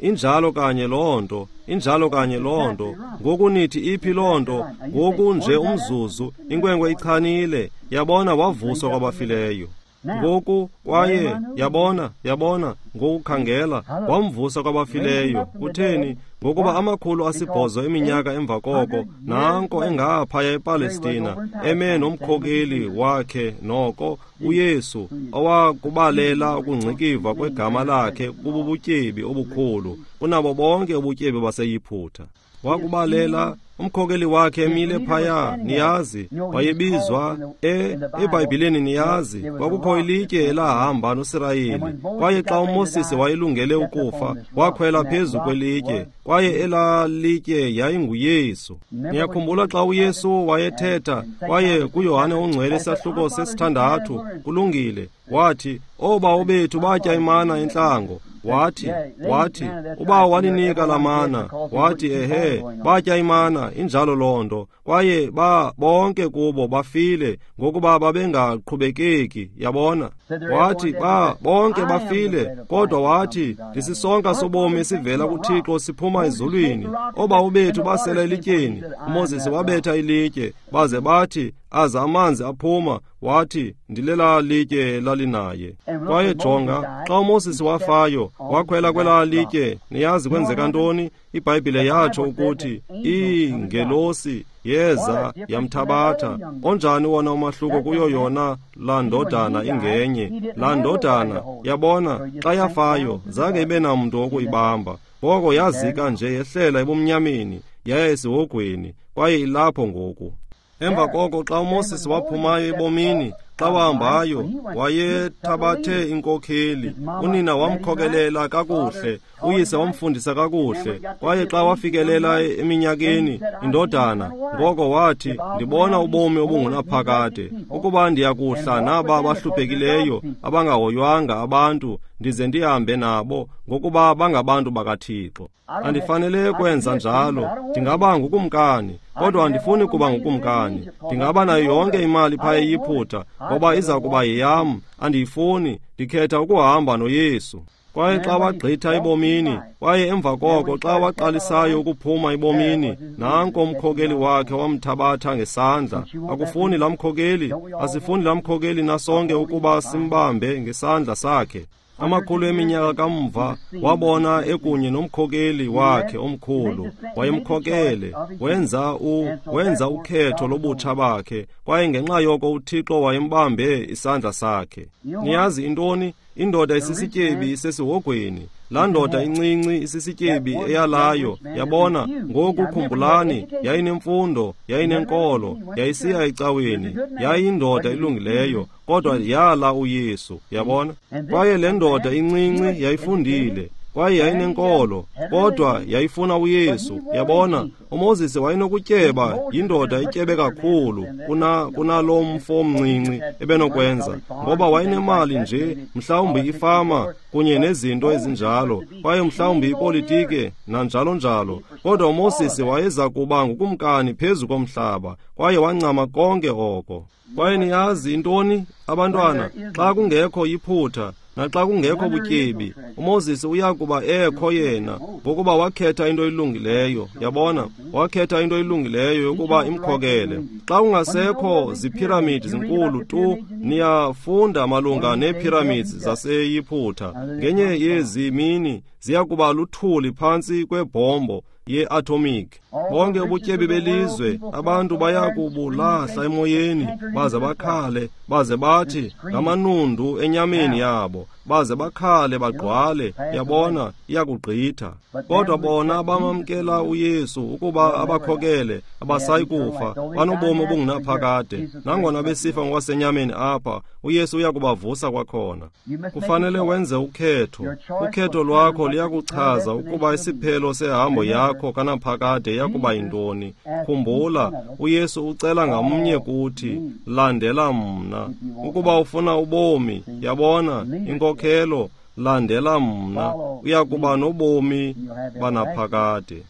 Injalo kanye loo nto, injalo kanye loo nto. Ngoku nithi iphi loo nto? Ngoku nje umzuzu, inkwenkwe ichanile. Yabona, wavuswa kwabafileyo. Ngoku kwaye yabona, yabona, ngokukhangela wamvusa kwabafileyo. Kutheni? Ngokuba amakhulu asibhozo eminyaka emva koko, nanko engaphaya ePalestina, eme nomkhokeli wakhe noko uYesu, owakubalela ukungcikiva kwegama lakhe kububutyebi obukhulu kunabo bonke ubutyebi baseYiphutha. Wakubalela umkhokeli wakhe emile phaya, niyazi, wayebizwa e eBhayibhileni, niyazi, kwakukho ilitye elahamba noSirayeli. Kwaye xa uMoses wayelungele ukufa, wakhwela phezu kwelitye, kwaye elaa litye yayinguYesu. Niyakhumbula xa uYesu wayethetha kwaye kuYohane oNgcwele isahluko sesithandathu, kulungile, wathi, oobawo bethu batya imana entlango. Wathi, wathi, ubawo waninika la mana. Wathi, ehe, batya imana, injalo loo nto. Kwaye ba bonke kubo bafile ngokuba babengaqhubekeki, yabona. Wathi, ba bonke bafile, kodwa wathi, ndisisonka sobomi esivela kuThixo siphuma ezulwini. Oobawo bethu basela elityeni, uMoses wabetha ilitye, baze bathi, aza amanzi aphuma. Wathi, ndilela litye lalinaye. Kwaye jonga, xa uMoses wafayo, wakhwela kwelaa litye. Niyazi kwenzeka ntoni? iBhayibhile yatsho ukuthi iingelosi yeza yamthabatha. Onjani wona umahluko kuyo yona laa ndodana ingenye? Laa ndodana, yabona, xa yafayo zange ibe namntu wokuyibamba. Ngoko yazika nje yehlela ebumnyameni, yaya esihogweni, kwaye ilapho ngoku. Emva koko xa uMoses waphumayo ebomini, xa wahambayo, wayethabathe inkokheli. Unina wamkhokelela kakuhle, uyise wamfundisa kakuhle. Kwaye xa wafikelela eminyakeni, indodana, ngoko wathi, ndibona ubomi obungunaphakade, ukuba ndiyakuhla naba bahluphekileyo, abangahoywanga abantu, ndize ndihambe nabo, ngokuba bangabantu bakaThixo. Andifanele kwenza njalo. Ndingaba ngukumkani, kodwa andifuni kuba ngukumkani. Ndingaba nayo yonke imali phaya eYiphutha, ngoba iza kuba yeyam. Andiyifuni. Ndikhetha ukuhamba noYesu. Kwaye xa wagqitha ebomini, kwaye emva koko xa waqalisayo ukuphuma ebomini, nanko umkhokeli wakhe wamthabatha ngesandla. Akufuni laa mkhokeli, asifuni laa mkhokeli nasonke ukuba simbambe ngesandla sakhe. Amakhulu eminyaka kamva wabona ekunye nomkhokeli wakhe omkhulu, wayemkhokele, wenza u wenza ukhetho lobutsha bakhe, kwaye ngenxa yoko uThixo wayembambe isandla sakhe. Niyazi intoni? Indoda isisityebi isesihogweni. Laa ndoda incinci isisityebi eyalayo, yabona, ngoku khumbulani, yayinemfundo, yayinenkolo, yayisiya ecaweni, yayindoda elungileyo, kodwa yala uYesu, yabona. Kwaye le ndoda incinci yayifundile, kwaye yayinenkolo, kodwa yayifuna uYesu, yabona. uMoses wayenokutyeba, yindoda ityebe kakhulu kuna kunalo mfo omncinci ebenokwenza, ngoba wayenemali nje, mhlawumbi ifama kunye nezinto ezinjalo, kwaye mhlawumbi ipolitike nanjalo njalo. Kodwa uMoses wayeza kuba ngukumkani phezu komhlaba, kwaye wancama konke oko. Kwaye niyazi intoni, abantwana, xa kungekho iphutha naxa kungekho butyebi, uMoses uya kuba ekho yena, ngokuba wakhetha into elungileyo, yabona, wakhetha into elungileyo yokuba imkhokele. Xa kungasekho ziphiramidi zinkulu tu, niyafunda malunga neepyramids zaseYiphutha. Ngenye yezi mini ziya kuba luthuli phantsi kwebhombo ye-atomic. Bonke ubutyebi belizwe, abantu baya kubulahla emoyeni, baze bakhale, baze bathi ngamanundu enyameni yabo, baze bakhale bagqwale, yabona, iyakugqitha. Kodwa bona bamamkela uYesu ukuba abakhokele, abasayi kufa, banobomi obungunaphakade. Nangona besifa ngokwasenyameni apha, uYesu uya kubavusa kwakhona. Kufanele wenze ukhetho. Ukhetho lwakho liyakuchaza ukuba isiphelo sehambo yakho kanaphakade yakuba yintoni. Khumbula, uYesu ucela ngamnye kuthi, landela mna. Ukuba ufuna ubomi, yabona, inkokhelo, landela mna, uya kuba nobomi banaphakade.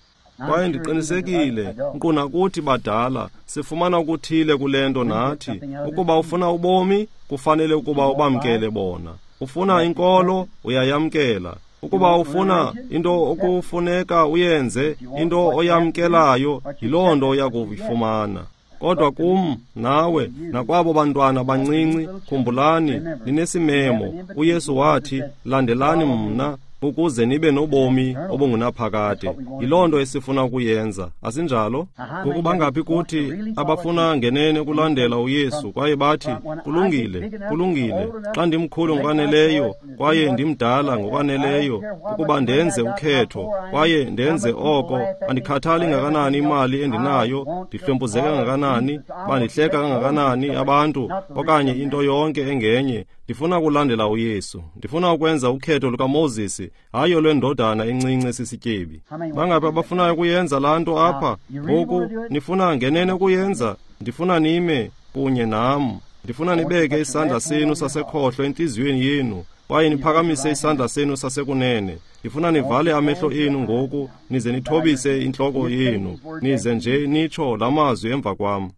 Kwaye ndiqinisekile, nkqu nakuthi badala, sifumana okuthile kule nto nathi. Ukuba ufuna ubomi, kufanele ukuba ubamkele bona. Ufuna inkolo, uyayamkela. Ukuba ufuna into okufuneka uyenze, into oyamkelayo, yiloo nto oya kuyifumana. Kodwa kum, nawe, nakwabo bantwana bancinci, khumbulani, ninesimemo. uYesu wathi, landelani mna, ukuze nibe nobomi obungunaphakade. Yiloo nto esifuna ukuyenza, asinjalo? Ngoku bangaphi kuthi abafuna ngenene ukulandela uYesu, kwaye bathi, kulungile, kulungile, xa ndimkhulu ngokwaneleyo, kwaye ndimdala ngokwaneleyo, ukuba ndenze ukhetho, kwaye ndenze oko, andikhathali ngakanani imali endinayo, ndihlwempuzeke kangakanani, bandihleka kangakanani abantu, okanye into yonke engenye, ndifuna ukulandela uYesu. Ndifuna ukwenza ukhetho lukaMoses, hayi olwendodana encinci esisityebi. Bangaphi abafunayo ukuyenza laa nto apha? Ngoku nifuna ngenene ukuyenza? Ndifuna nime kunye nam. Ndifuna nibeke isandla senu sasekhohlo entliziyweni yenu, kwaye niphakamise isandla senu sasekunene. Ndifuna nivale amehlo enu ngoku, nize nithobise intloko yenu, nize nje nitsho la mazwi emva kwam.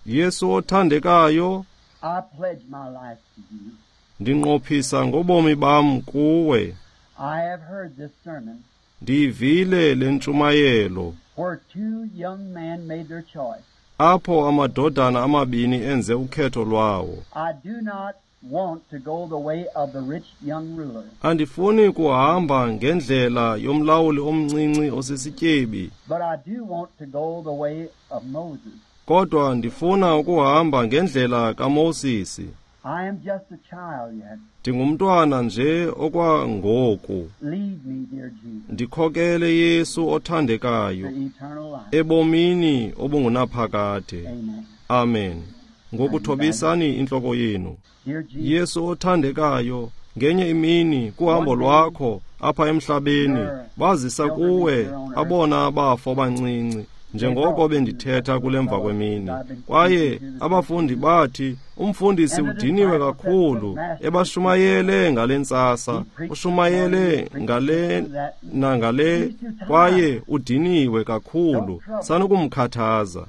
Yesu othandekayo, I pledge my life to you. Ndinqophisa ngobomi bam kuwe. I have heard this sermon Ndiyivile le ntshumayelo where two young men made their choice. apho amadodana amabini enze ukhetho lwawo. I do not want to go the way of the rich young ruler, Andifuni kuhamba ngendlela yomlawuli omncinci osisityebi, but I do want to go the way of Moses. kodwa ndifuna ukuhamba ngendlela kaMosisi. I am just a child yet. Ndingumntwana nje okwangoku. Lead me, dear Jesus, Ndikhokele Yesu othandekayo to eternal life. ebomini obungunaphakade. Amen. Amen. Ngokuthobisani intloko yenu. Dear Jesus, Yesu othandekayo, ngenye imini kuhambo lwakho apha emhlabeni, bazisa kuwe abona abafo abancinci, njengoko bendithetha kule mva kwemini. Kwaye abafundi bathi, umfundisi udiniwe kakhulu, ebashumayele ngale ntsasa, ushumayele ngale nangale, kwaye udiniwe kakhulu, sanukumkhathaza.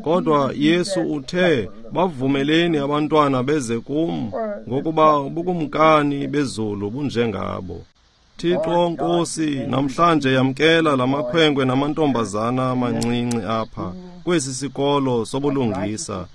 Kodwa Yesu uthe, bavumeleni abantwana beze kum, ngokuba ubukumkani bezulu bunjengabo. Thixo Nkosi, namhlanje yamkela lamakhwenkwe namantombazana amancinci apha kwesi sikolo sobulungisa,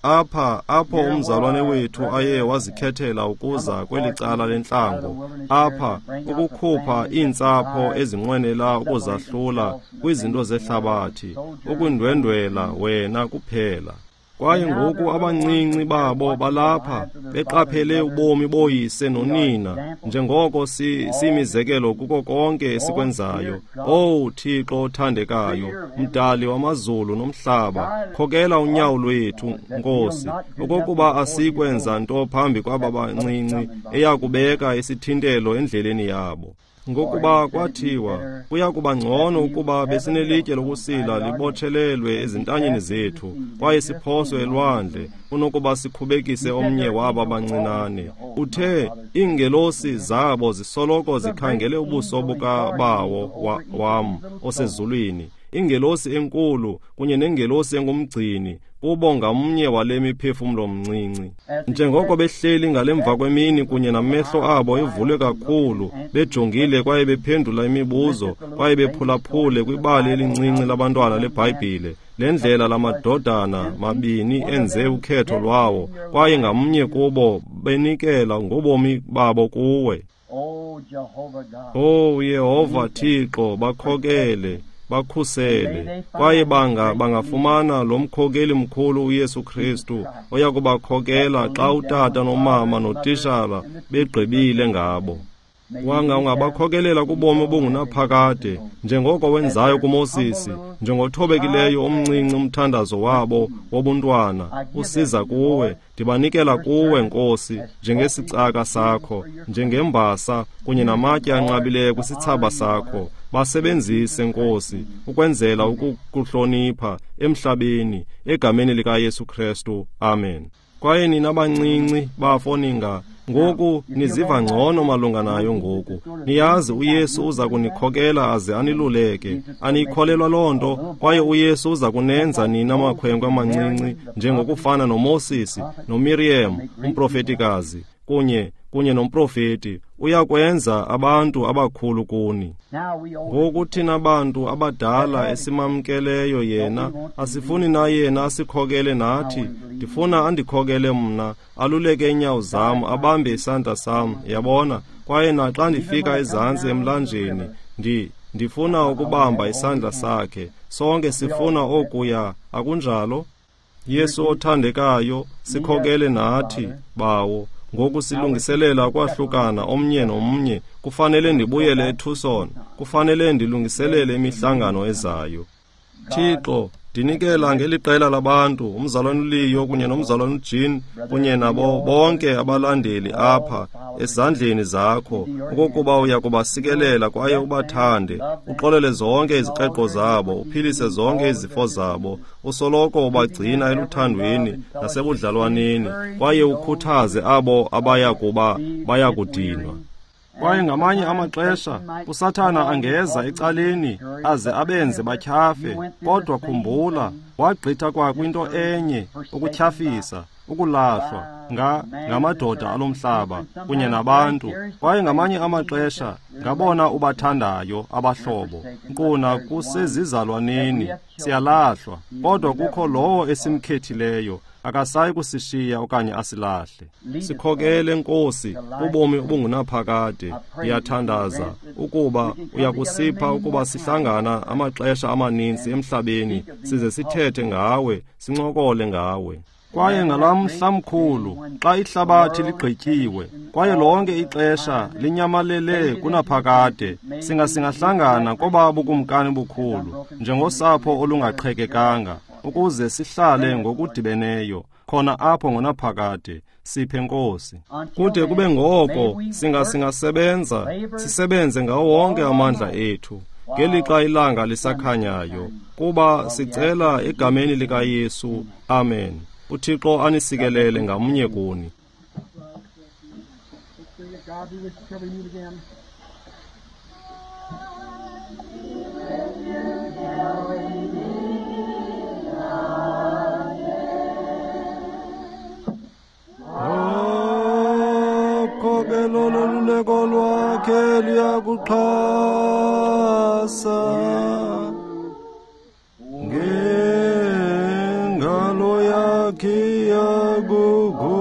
Apha apho umzalwane wethu aye wazikhethela ukuza kweli cala lentlango, apha ukukhupha iintsapho ezinqwenela ukuzahlula kwizinto zehlabathi, ukundwendwela wena kuphela. Kwaye ngoku abancinci babo balapha beqaphele ubomi boyise nonina, njengoko si simizekelo kuko konke esikwenzayo. Owu Thixo othandekayo, Mdali wamazulu nomhlaba, khokela unyawo lwethu, Nkosi, okokuba asikwenza nto phambi kwaba bancinci eyakubeka isithintelo endleleni yabo. Ngokuba kwathiwa kuya kuba ngcono ukuba besinelitye lokusila libotshelelwe ezintanyeni zethu kwaye siphoswe elwandle kunokuba sikhubekise omnye wabo abancinane. Uthe iingelosi zabo zisoloko zikhangele ubuso bukaBawo wam osezulwini, ingelosi enkulu kunye nengelosi engumgcini kubo ngamnye wale miphefumlo mncinci. Njengoko behleli ngalemva kwemini kunye namehlo abo evulwe kakhulu, bejongile kwaye bephendula imibuzo kwaye bephulaphule kwibali elincinci labantwana leBhayibhile, le ndlela lamadodana mabini enze ukhetho lwawo, kwaye ngamnye kubo benikela ngobomi babo kuwe. Oh Yehova Thixo, bakhokele, bakhusele, kwaye banga bangafumana lo mkhokeli mkhulu uYesu Kristu oya kubakhokela xa utata nomama notishala begqibile ngabo. Wanga ungabakhokelela kubomi obungunaphakade, njengoko wenzayo kuMosisi, njengothobekileyo omncinci umthandazo wabo wobuntwana usiza kuwe. Ndibanikela kuwe, Nkosi, njengesicaka sakho, njengembasa kunye namatye anqabileyo kwisithsaba sakho. Basebenzise, Nkosi, ukwenzela ukukuhlonipha emhlabeni, egameni likaYesu Kristu. Amen. Kwaye nina bancinci bafo ninga ngoku niziva ngcono malunga nayo ngoku. Niyazi uYesu uza kunikhokela aze aniluleke. Aniyikholelwa loo nto, kwaye uYesu uza kunenza nina makhwenkwe amancinci njengokufana noMosisi noMiriam umprofetikazi kunye kunye nomprofeti. Uyakwenza abantu abakhulu kuni. Ngoku thina bantu abadala esimamkeleyo yena, asifuni na yena asikhokele nathi. Ndifuna andikhokele mna, aluleke iinyawo zam, abambe isandla sam, yabona. Kwaye naxa ndifika ezantsi emlanjeni, ndi ndifuna ukubamba isandla sakhe. Sonke sifuna okuya, akunjalo? Yesu othandekayo, sikhokele nathi, Bawo. Ngoku silungiselela ukwahlukana omnye nomnye. Kufanele ndibuyele eTucson. Kufanele ndilungiselele imihlangano ezayo. Thixo, ndinikela ngeli qela labantu, umzalwane uLeo kunye nomzalwane uJean kunye nabo bonke abalandeli apha ezandleni zakho, okokuba uya kubasikelela kwaye ubathande, uxolele zonke izikreqo zabo, uphilise zonke izifo zabo, usoloko ubagcina eluthandweni nasebudlalwaneni, kwaye ukhuthaze abo abaya kuba bayakudinwa. Kwaye ngamanye amaxesha uSathana angeza ecaleni aze abenze batyhafe, kodwa khumbula, wagqitha kwakwinto enye, ukutyhafisa, ukulahlwa nga ngamadoda alomhlaba kunye nabantu. Kwaye ngamanye amaxesha ngabona ubathandayo abahlobo, nkuna kusezizalwaneni siyalahlwa, kodwa kukho lowo esimkhethileyo, akasayi kusishiya okanye asilahle. Sikhokele, Nkosi, ubomi obungunaphakade. Ndiyathandaza ukuba uyakusipha ukuba sihlangana amaxesha amaninzi emhlabeni, size sithethe ngawe, sincokole ngawe. Kwaye ngalaa mhla mkhulu, xa ihlabathi ligqityiwe, kwaye lonke ixesha linyamalele kunaphakade, singa singahlangana koba bukumkani bukhulu, njengosapho olungaqhekekanga, ukuze sihlale ngokudibeneyo khona apho ngonaphakade. Siphe, Nkosi. Kude kube ngoko singa singasebenza, sisebenze ngawo wonke amandla ethu, ngelixa ilanga lisakhanyayo, kuba sicela egameni likaYesu. Amen. UThixo anisikelele ngamnye kuni. God be with you till we meet again. Khokelo loluleko lwakhe luyakuxhasa, ngengalo yakhe Camaguxa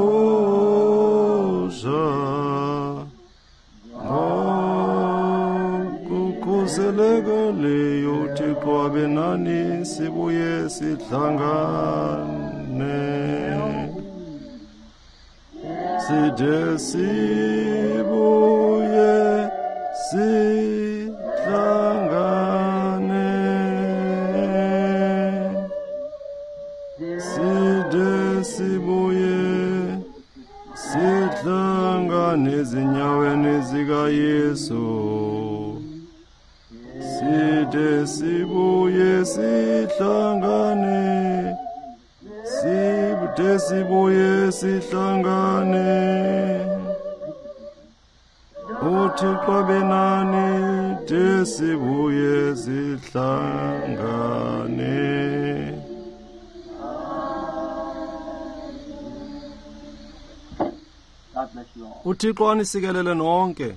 ngokukhuselekeleyo uThixo abe nani sibuye sihlangane side sibuye sihlangane side sibuye sihlangane ezinyaweni zikaYesu side sibuye sihlangane side sibuye sihlangane uThixo abe nani de sibuye sihlangane. God bless you all. uThixo anisikelele nonke.